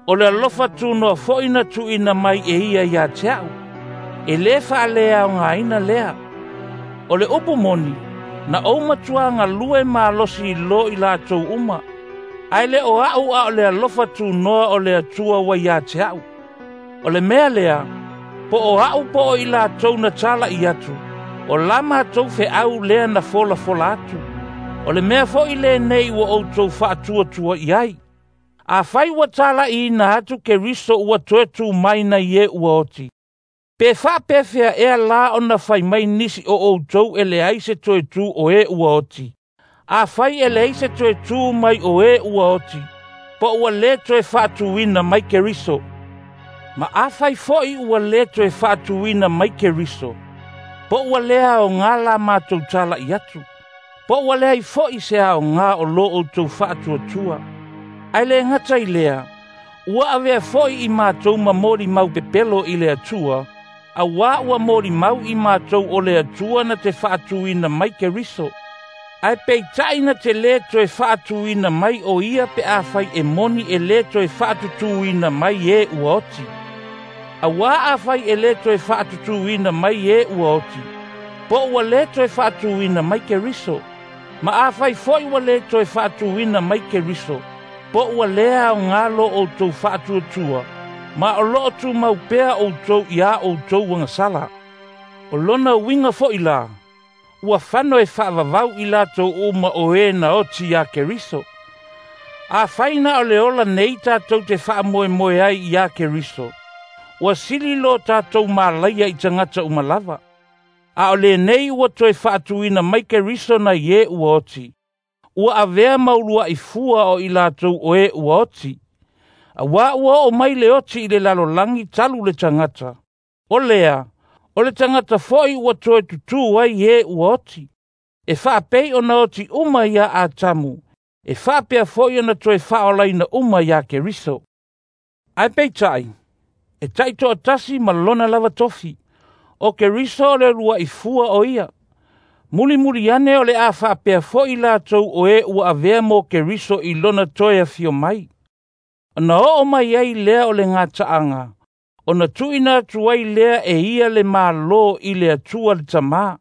O le alofa tunoa foʻi na tuuina mai e ia iā te aʻu, e lē faaleaogaina lea. O le upu moni, na ou matuā galue malosi loa i latou uma, ae le o aʻu a o le alofa tunoa o le Atua ua iā te aʻu. O le mea lea, po o aʻu po o i latou na talaʻi atu, o la matou feʻau lea na folafola atu. O le mea foʻi lenei ua outou faatuatua i ai. Afai ua talaʻiina atu Keriso ua toe tu mai nai e ua oti, pe faapefea ea la ona fai mai nisi o outou e leai se toe tu o e ua oti. Afai e leai se toe tu mai o e ua oti, po ua lē toe faatuina mai Keriso. Ma afai foʻi ua lē toe faatuina mai Keriso, po ua lē aogā la matou talaʻi atu, po ua leai foʻi se aogā o lo outou faatuatua. Ae lē gata i lea, ua avea foʻi i matou ma molimau pepelo i le Atua, auā ua molimau i matou o le Atua na te faatuina mai Keriso. Ae peitaʻi na te lē toe faatuina mai o ia pe afai e moni e lē toe faatutūina mai e ua oti. Auā afai e lē toe faatutūina mai e ua oti, po ua lē toe faatuina mai Keriso. Ma afai foʻi ua lē toe faatuina mai Keriso, po ua lē aogā lo outou faatuatua, ma o loo tumau pea outou iā outou agasala. O lona uiga foʻi la, ua fano e faavavau i latou uma o e na oti iā Keriso. Afai na o le ola nei tatou te faamoemoe ai iā Keriso, ua sili lo tatou malaia i tagata uma lava. A o lenei ua toe faatuina mai Keriso nai e ua oti, ua avea ma uluaʻi fua o i latou o e ua oti. Auā ua oo mai le oti i le lalolagi talu le tagata. O lea, o le tagata foʻi ua toe tutū ai e ua oti. E faapei ona oti uma iā Atamu, e faapea foʻi ona toe faaolaina uma iā Keriso. Ae peitaʻi, e taitoatasi ma lona lava tofi. O Keriso o le uluaʻi fua o ia. Mulimuli ane o le a faapea foʻi latou o e ua avea mo Keriso i lona toe afio mai. Ona oo mai ai lea o le gataʻaga, Ona tuuina atu ai lea e ia le Malo i le Atua le Tamā,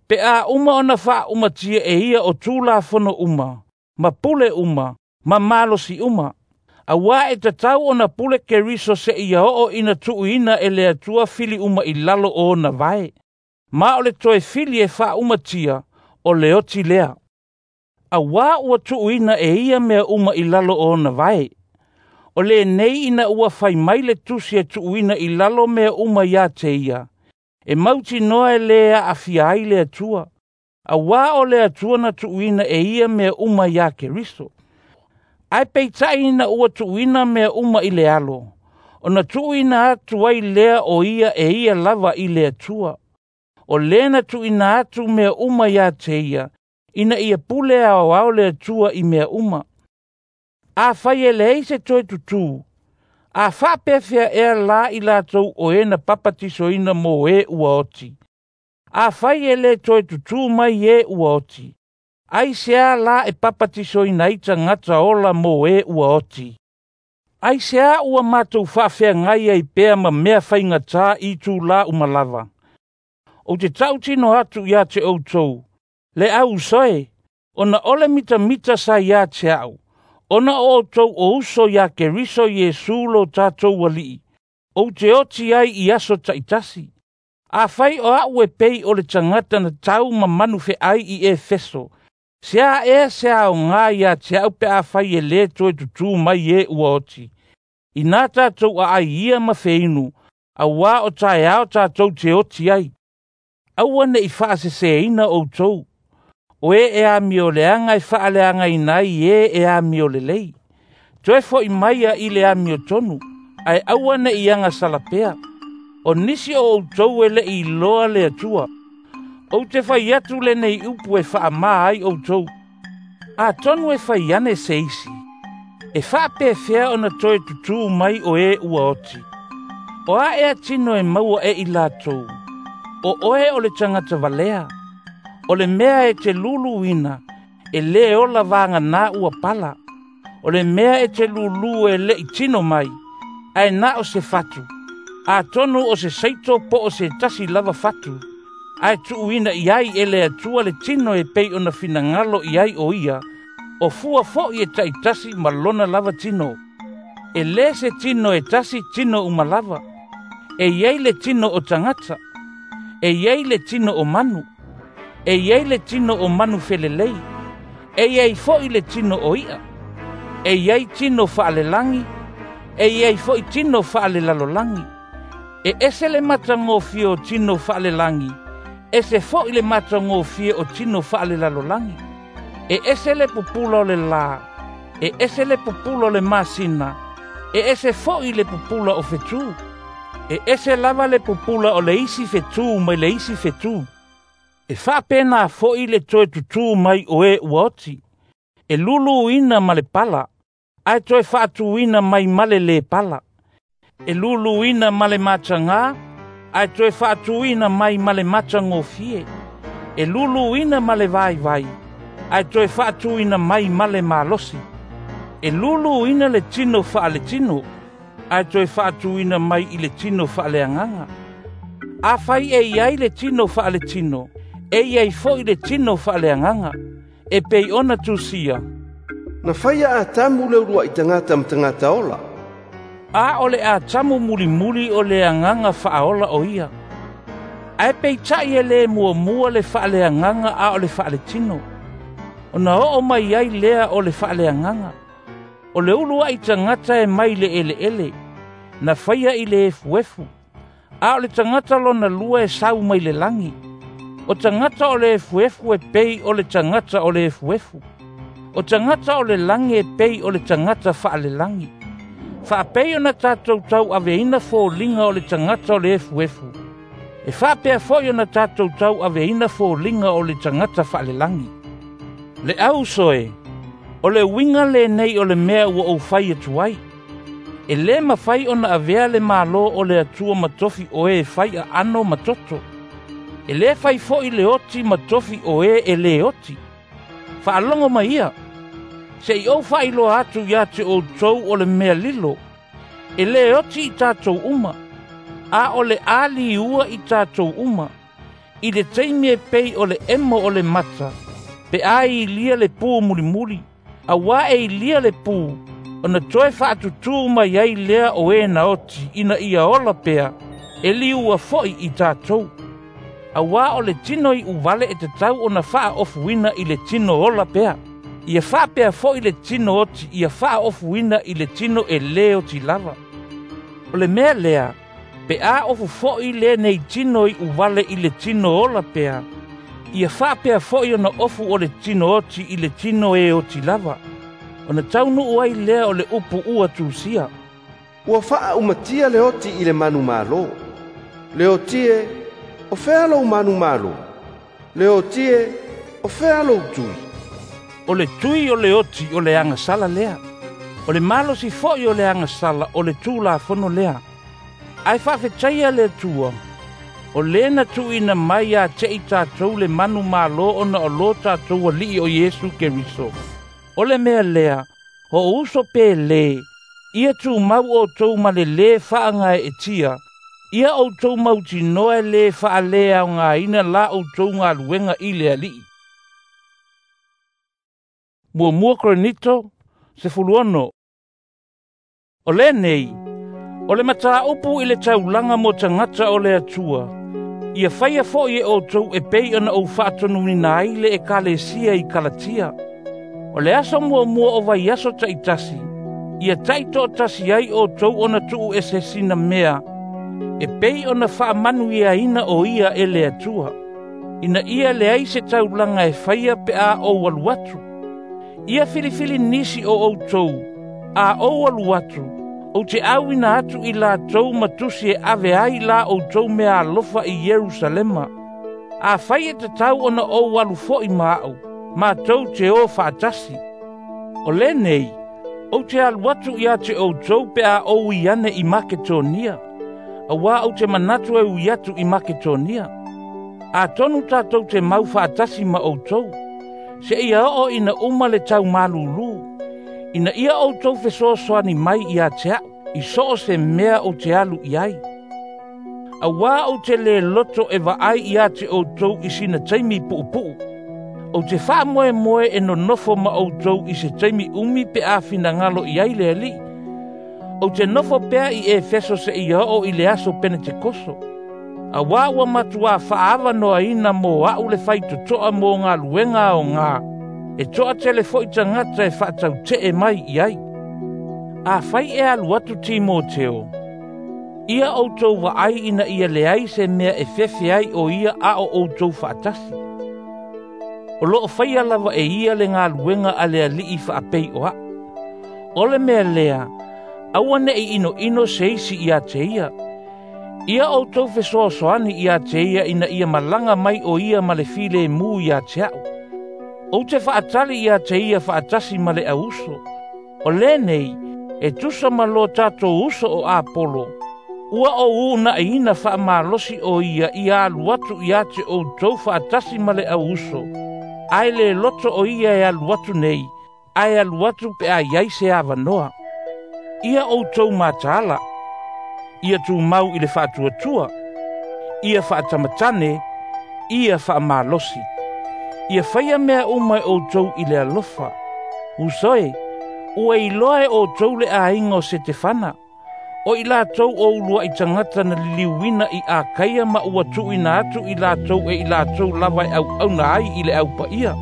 pe a uma ona faaumatia e ia o Tulafono uma, ma pule uma, ma malosi uma. Auā e tatau ona pule Keriso seia oo ina tuuina e le Atua fili uma i lalo o ona vae. Ma o le toe fili e faaumatia, o le oti lea. Auā ua tuuina e ia mea uma i lalo o ona vae. O lenei ina ua fai mai le tusi e tuuina i lalo mea uma ia te ia, e mautinoa e lē aafia ai le Atua, auā o le Atua na tuuina e ia mea uma iā Keriso. Ae peitai ina ua tuuina mea uma i le Alo, ona tuuina atu ai lea o ia e ia lava i le Atua. O lea na tuuina atu mea uma ia te ia, ina ia pule aoao le Atua i mea uma. Afai e leai se toe tutū, a faapefea ea la i latou o e na papatisoina mo e ua oti? Afai e lē toe tutū mai e ua oti, aisea la e papatisoina ai tagata ola mo e ua oti? Aisea ua matou faafeagai ai pea ma mea faigatā i itulā uma lava? Ou te tautino atu ia te outou, le au uso e, ona ole mitamita sa ia te a'u, ona o outou o uso iā Keriso Iesu lo tatou Alii, ou te oti ai i aso taitasi. Afai o a'u e pei o le tagata na tau ma manufe'ai i Efeso, se a ea se aogā ia te a'u pe afai e lē toe tutū mai e ua oti? Inā tatou aai ia ma feinu, auā o taeao tatou te oti ai. Aua ne'i faasesēina outou. O e e amioleaga e faaleagaina ai e e amiolelei. Toe fo'i maia i le amiotonu, ae aua ne'i agasala pea. O nisi o outou e le'i iloa le Atua. Ou te fai atu lenei upu e faamā ai outou. Atonu e fai ane se isi, e faapefea ona toe tutū mai o e ua oti? O a ea tino e maua e i latou? O oe o le tagata valea. O le mea e te luluina, e lē ola vaganā ua pala. O le mea e te lulū e le'i tino mai, ae na o se fatu. Atonu o se seito po o se tasi lava fatu, ae tuuina i ai e le Atua le tino e pei ona finagalo i ai o ia, o fua fo'i e taitasi ma lona lava tino. E lē se tino e tasi tino uma lava. E iai le tino o tagata, e iai le tino o manu, e iai le tino o manu felelei, e iai fo'i le tino o i'a, e iai tino faalelagi, e iai fo'i tino faalelalolagi. E ese le matagofie o tino faalelagi, ese fo'i le matagofie o tino faalelalolagi. E ese le pupula o le lā, e ese le pupula o le masina, e ese fo'i le pupula o fetū. E ese lava le pupula o le isi fetū mai le isi fetū. E faapenā fo'i le toe tutū mai o e ua oti. E luluina ma le pala, ae toe faatuina mai ma le lē pala. E luluina ma le matagā, ae toe faatuina mai ma le matagofie. E luluina ma le vaivai, ae toe faatuina mai ma le malosi. E luluina le tino faaletino, ae toe faatuina mai i le tino faaleagaga. Afai e iai le tino faaletino, e iai fo'i le tino faaleagaga, e pei ona tusia. Na faia Atamu le ulua'i tagata ma tagata ola. A o le Atamu mulimuli o le agaga faaola o ia. Ae peitai e lē muamua le faaleagaga a o le faaletino. Ona oo mai ai lea o le faaleagaga. O le ulua'i tagata e mai le eleele, na faia i le efuefu. A o le tagata lona lua e sau mai le lagi. O tagata o le efuefu e pei o le tagata o le efuefu. O tagata o le lagi e pei o le tagata faalelagi. Faapei ona tatou tauaveina foliga o le tagata o le efuefu, e faapea fo'i ona tatou tauaveina foliga o le tagata faalelagi. Le au uso e, o le uiga lenei o le mea ua ou fai atu ai. E lē mafai ona avea le Malo o le Atua ma tofi o e fai aano ma toto. E lē fai fo'i le oti ma tofi o e e lē oti. Faalogo mai ia, se'i ou faailoa atu ia te outou o le mea lilo. E lē oti i tatou uma, A o le ali ua i tatou uma. I le taimi e pei o le emo o le mata, pe a ilia le pu mulimuli, auā e ilia le pu, ona toe faatutū mai ai lea o e na oti ina ia ola pea, e liua fo'i i tatou. Auā o le tino i'uvale e tatau ona faaofuina i le tino ola pea. Ia faapea fo'i le tino oti ia faaofuina i le tino e lē oti lava. O le mea lea, pe a ofu fo'i lenei tino i'uvale i le tino ola pea, ia faapea fo'i ona ofu o le tino oti i le tino e oti lava. Ona taunuu ai lea o le upu ua tusia. Ua faaumatia le oti i le manumalo. Le oti e, o fea lou manumalo? Le oti e, o fea lou tui? O le tui o le oti o le agasala lea. O le malosi fo'i o le agasala o le tulafono lea. Ae faafetaia le Atua, o lē na tuuina mai ia te i tatou le manumalo ona o lo tatou Alii o Iesu Keriso. O le mea lea, o uso pe lē, ia tumau outou ma le lē faagaeetia, ia outou mautinoa e lē faaleaogaina la outou galuega i le Alii. Muamua Korinito, sefuluono. O lenei, o le mataupu i le taulaga mo tagata o le Atua, ia faia fo'i e outou e pei ona ou faatonuina ai le ekalesia i Kalatia. O le aso muamua o vaiaso taitasi, ia taitoatasi ai outou ona tuuese sina mea, e pei ona faamanuiaina o ia e le Atua. Ina ia leai se taulaga e faia pe a ou alu atu. Ia filifili nisi o outou, a ou alu atu, ou te auina atu i latou ma tusi e ave ai la outou mea alofa i Ierusalema. Afai e tatau ona ou alu fo'i ma a'u, matou te o faatasi. O lenei, ou te alu atu ia te outou pe a ou ui ane i Maketonia, auā ou te manatu e ui atu i Maketonia. Atonu tatou te mau faatasi ma outou, seia oo ina uma le taumalūlū, ina ia outou fesoasoani mai ia te a'u, i so o se mea ou te alu i ai. Auā ou te lē loto e vaai ia te outou i sina taimi puupuu. Ou te faamoemoe e nonofo ma outou i se taimi umi pe a finagalo i ai le Alii. Ou te nofo pea i Efeso seia oo i le aso Penetekoso. Auā ua matuā faaavanoaina mo a'u le faitotoa mo galuega aogā, e toatele fo'i tagata e faatautee mai i ai. Afai e alu atu Timoteo, ia outou vaai ina ia leai se mea e fefe ai o ia a o outou faatasi. O loo faia lava e ia le galuega a le Alii faapei o a'u. O le mea lea, aua ne'i inoino se isi ia te ia. Ia outou fesoasoani ia te ia ina ia malaga mai o ia ma le filemu ia te a'u. Ou te faatali ia te ia faatasi ma le auso. O lenei, e tusa ma lo tatou uso o Apolo, ua ou uuna'iina faamalosi o ia ia alu atu ia te outou faatasi ma le auso, ae lē loto o ia e alu atu nei, ae alu atu pe a iai se avanoa. Ia outou mataala, ia tumau i le faatuatua, ia faatamatane, ia faamalosi. Ia faia mea uma e outou i le alofa. Uso e, ua iloa e outou le aiga o Setefana, o i latou o ulua'i tagata na liliuina i Akaia ma ua tuuina atu i latou e i latou lava e auauna ai i le aupaia.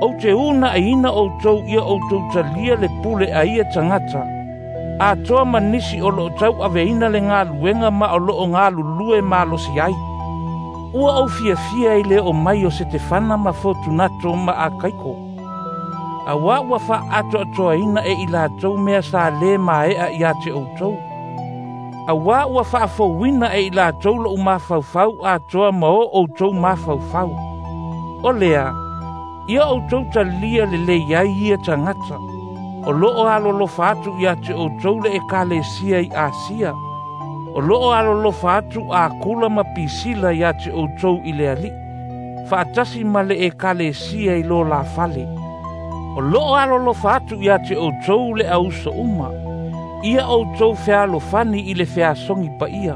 Ou te uuna'iina outou ia outou talia le pule a ia tagata, atoa ma nisi o loo tauaveina le galuega ma o loo galulue malosi ai. Ua ou fiafia i le oo mai o Setefana ma Fotunato ma Akaiko, auā ua faaatoatoaina e i latou mea sa lē mae'a ia te outou. Auā ua faafouina e i latou lo'u mafaufau atoa ma o outou mafaufau. O lea, ia outou talia lelei ai ia tagata, o loo alolofa atu ia te outou le ekalesia i Asia. O loo alolofa atu Akula ma Pisila ia te outou i le Alii, faatasi ma le ekalesia i lo la fale. O loo alolofa atu ia te outou le auso uma, ia outou fealofani i le feasogi paia.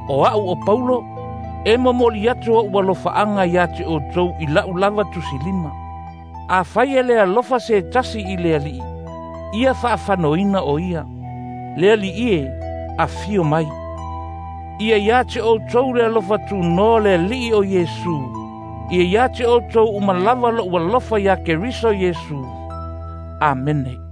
O a'u o Paulo, e momoli atu o'u alofa'aga iā te outou i la'u lava tusilima. Afai e le alofa se tasi i le Ali'i, ia fa'afanoina o ia. Le Ali'i e, afio mai. Ia iā te outou le alofa tunoa le Ali'i o Iesu. Ia iā te outou uma lava lo'u alofa iā Keriso Iesu. Amene.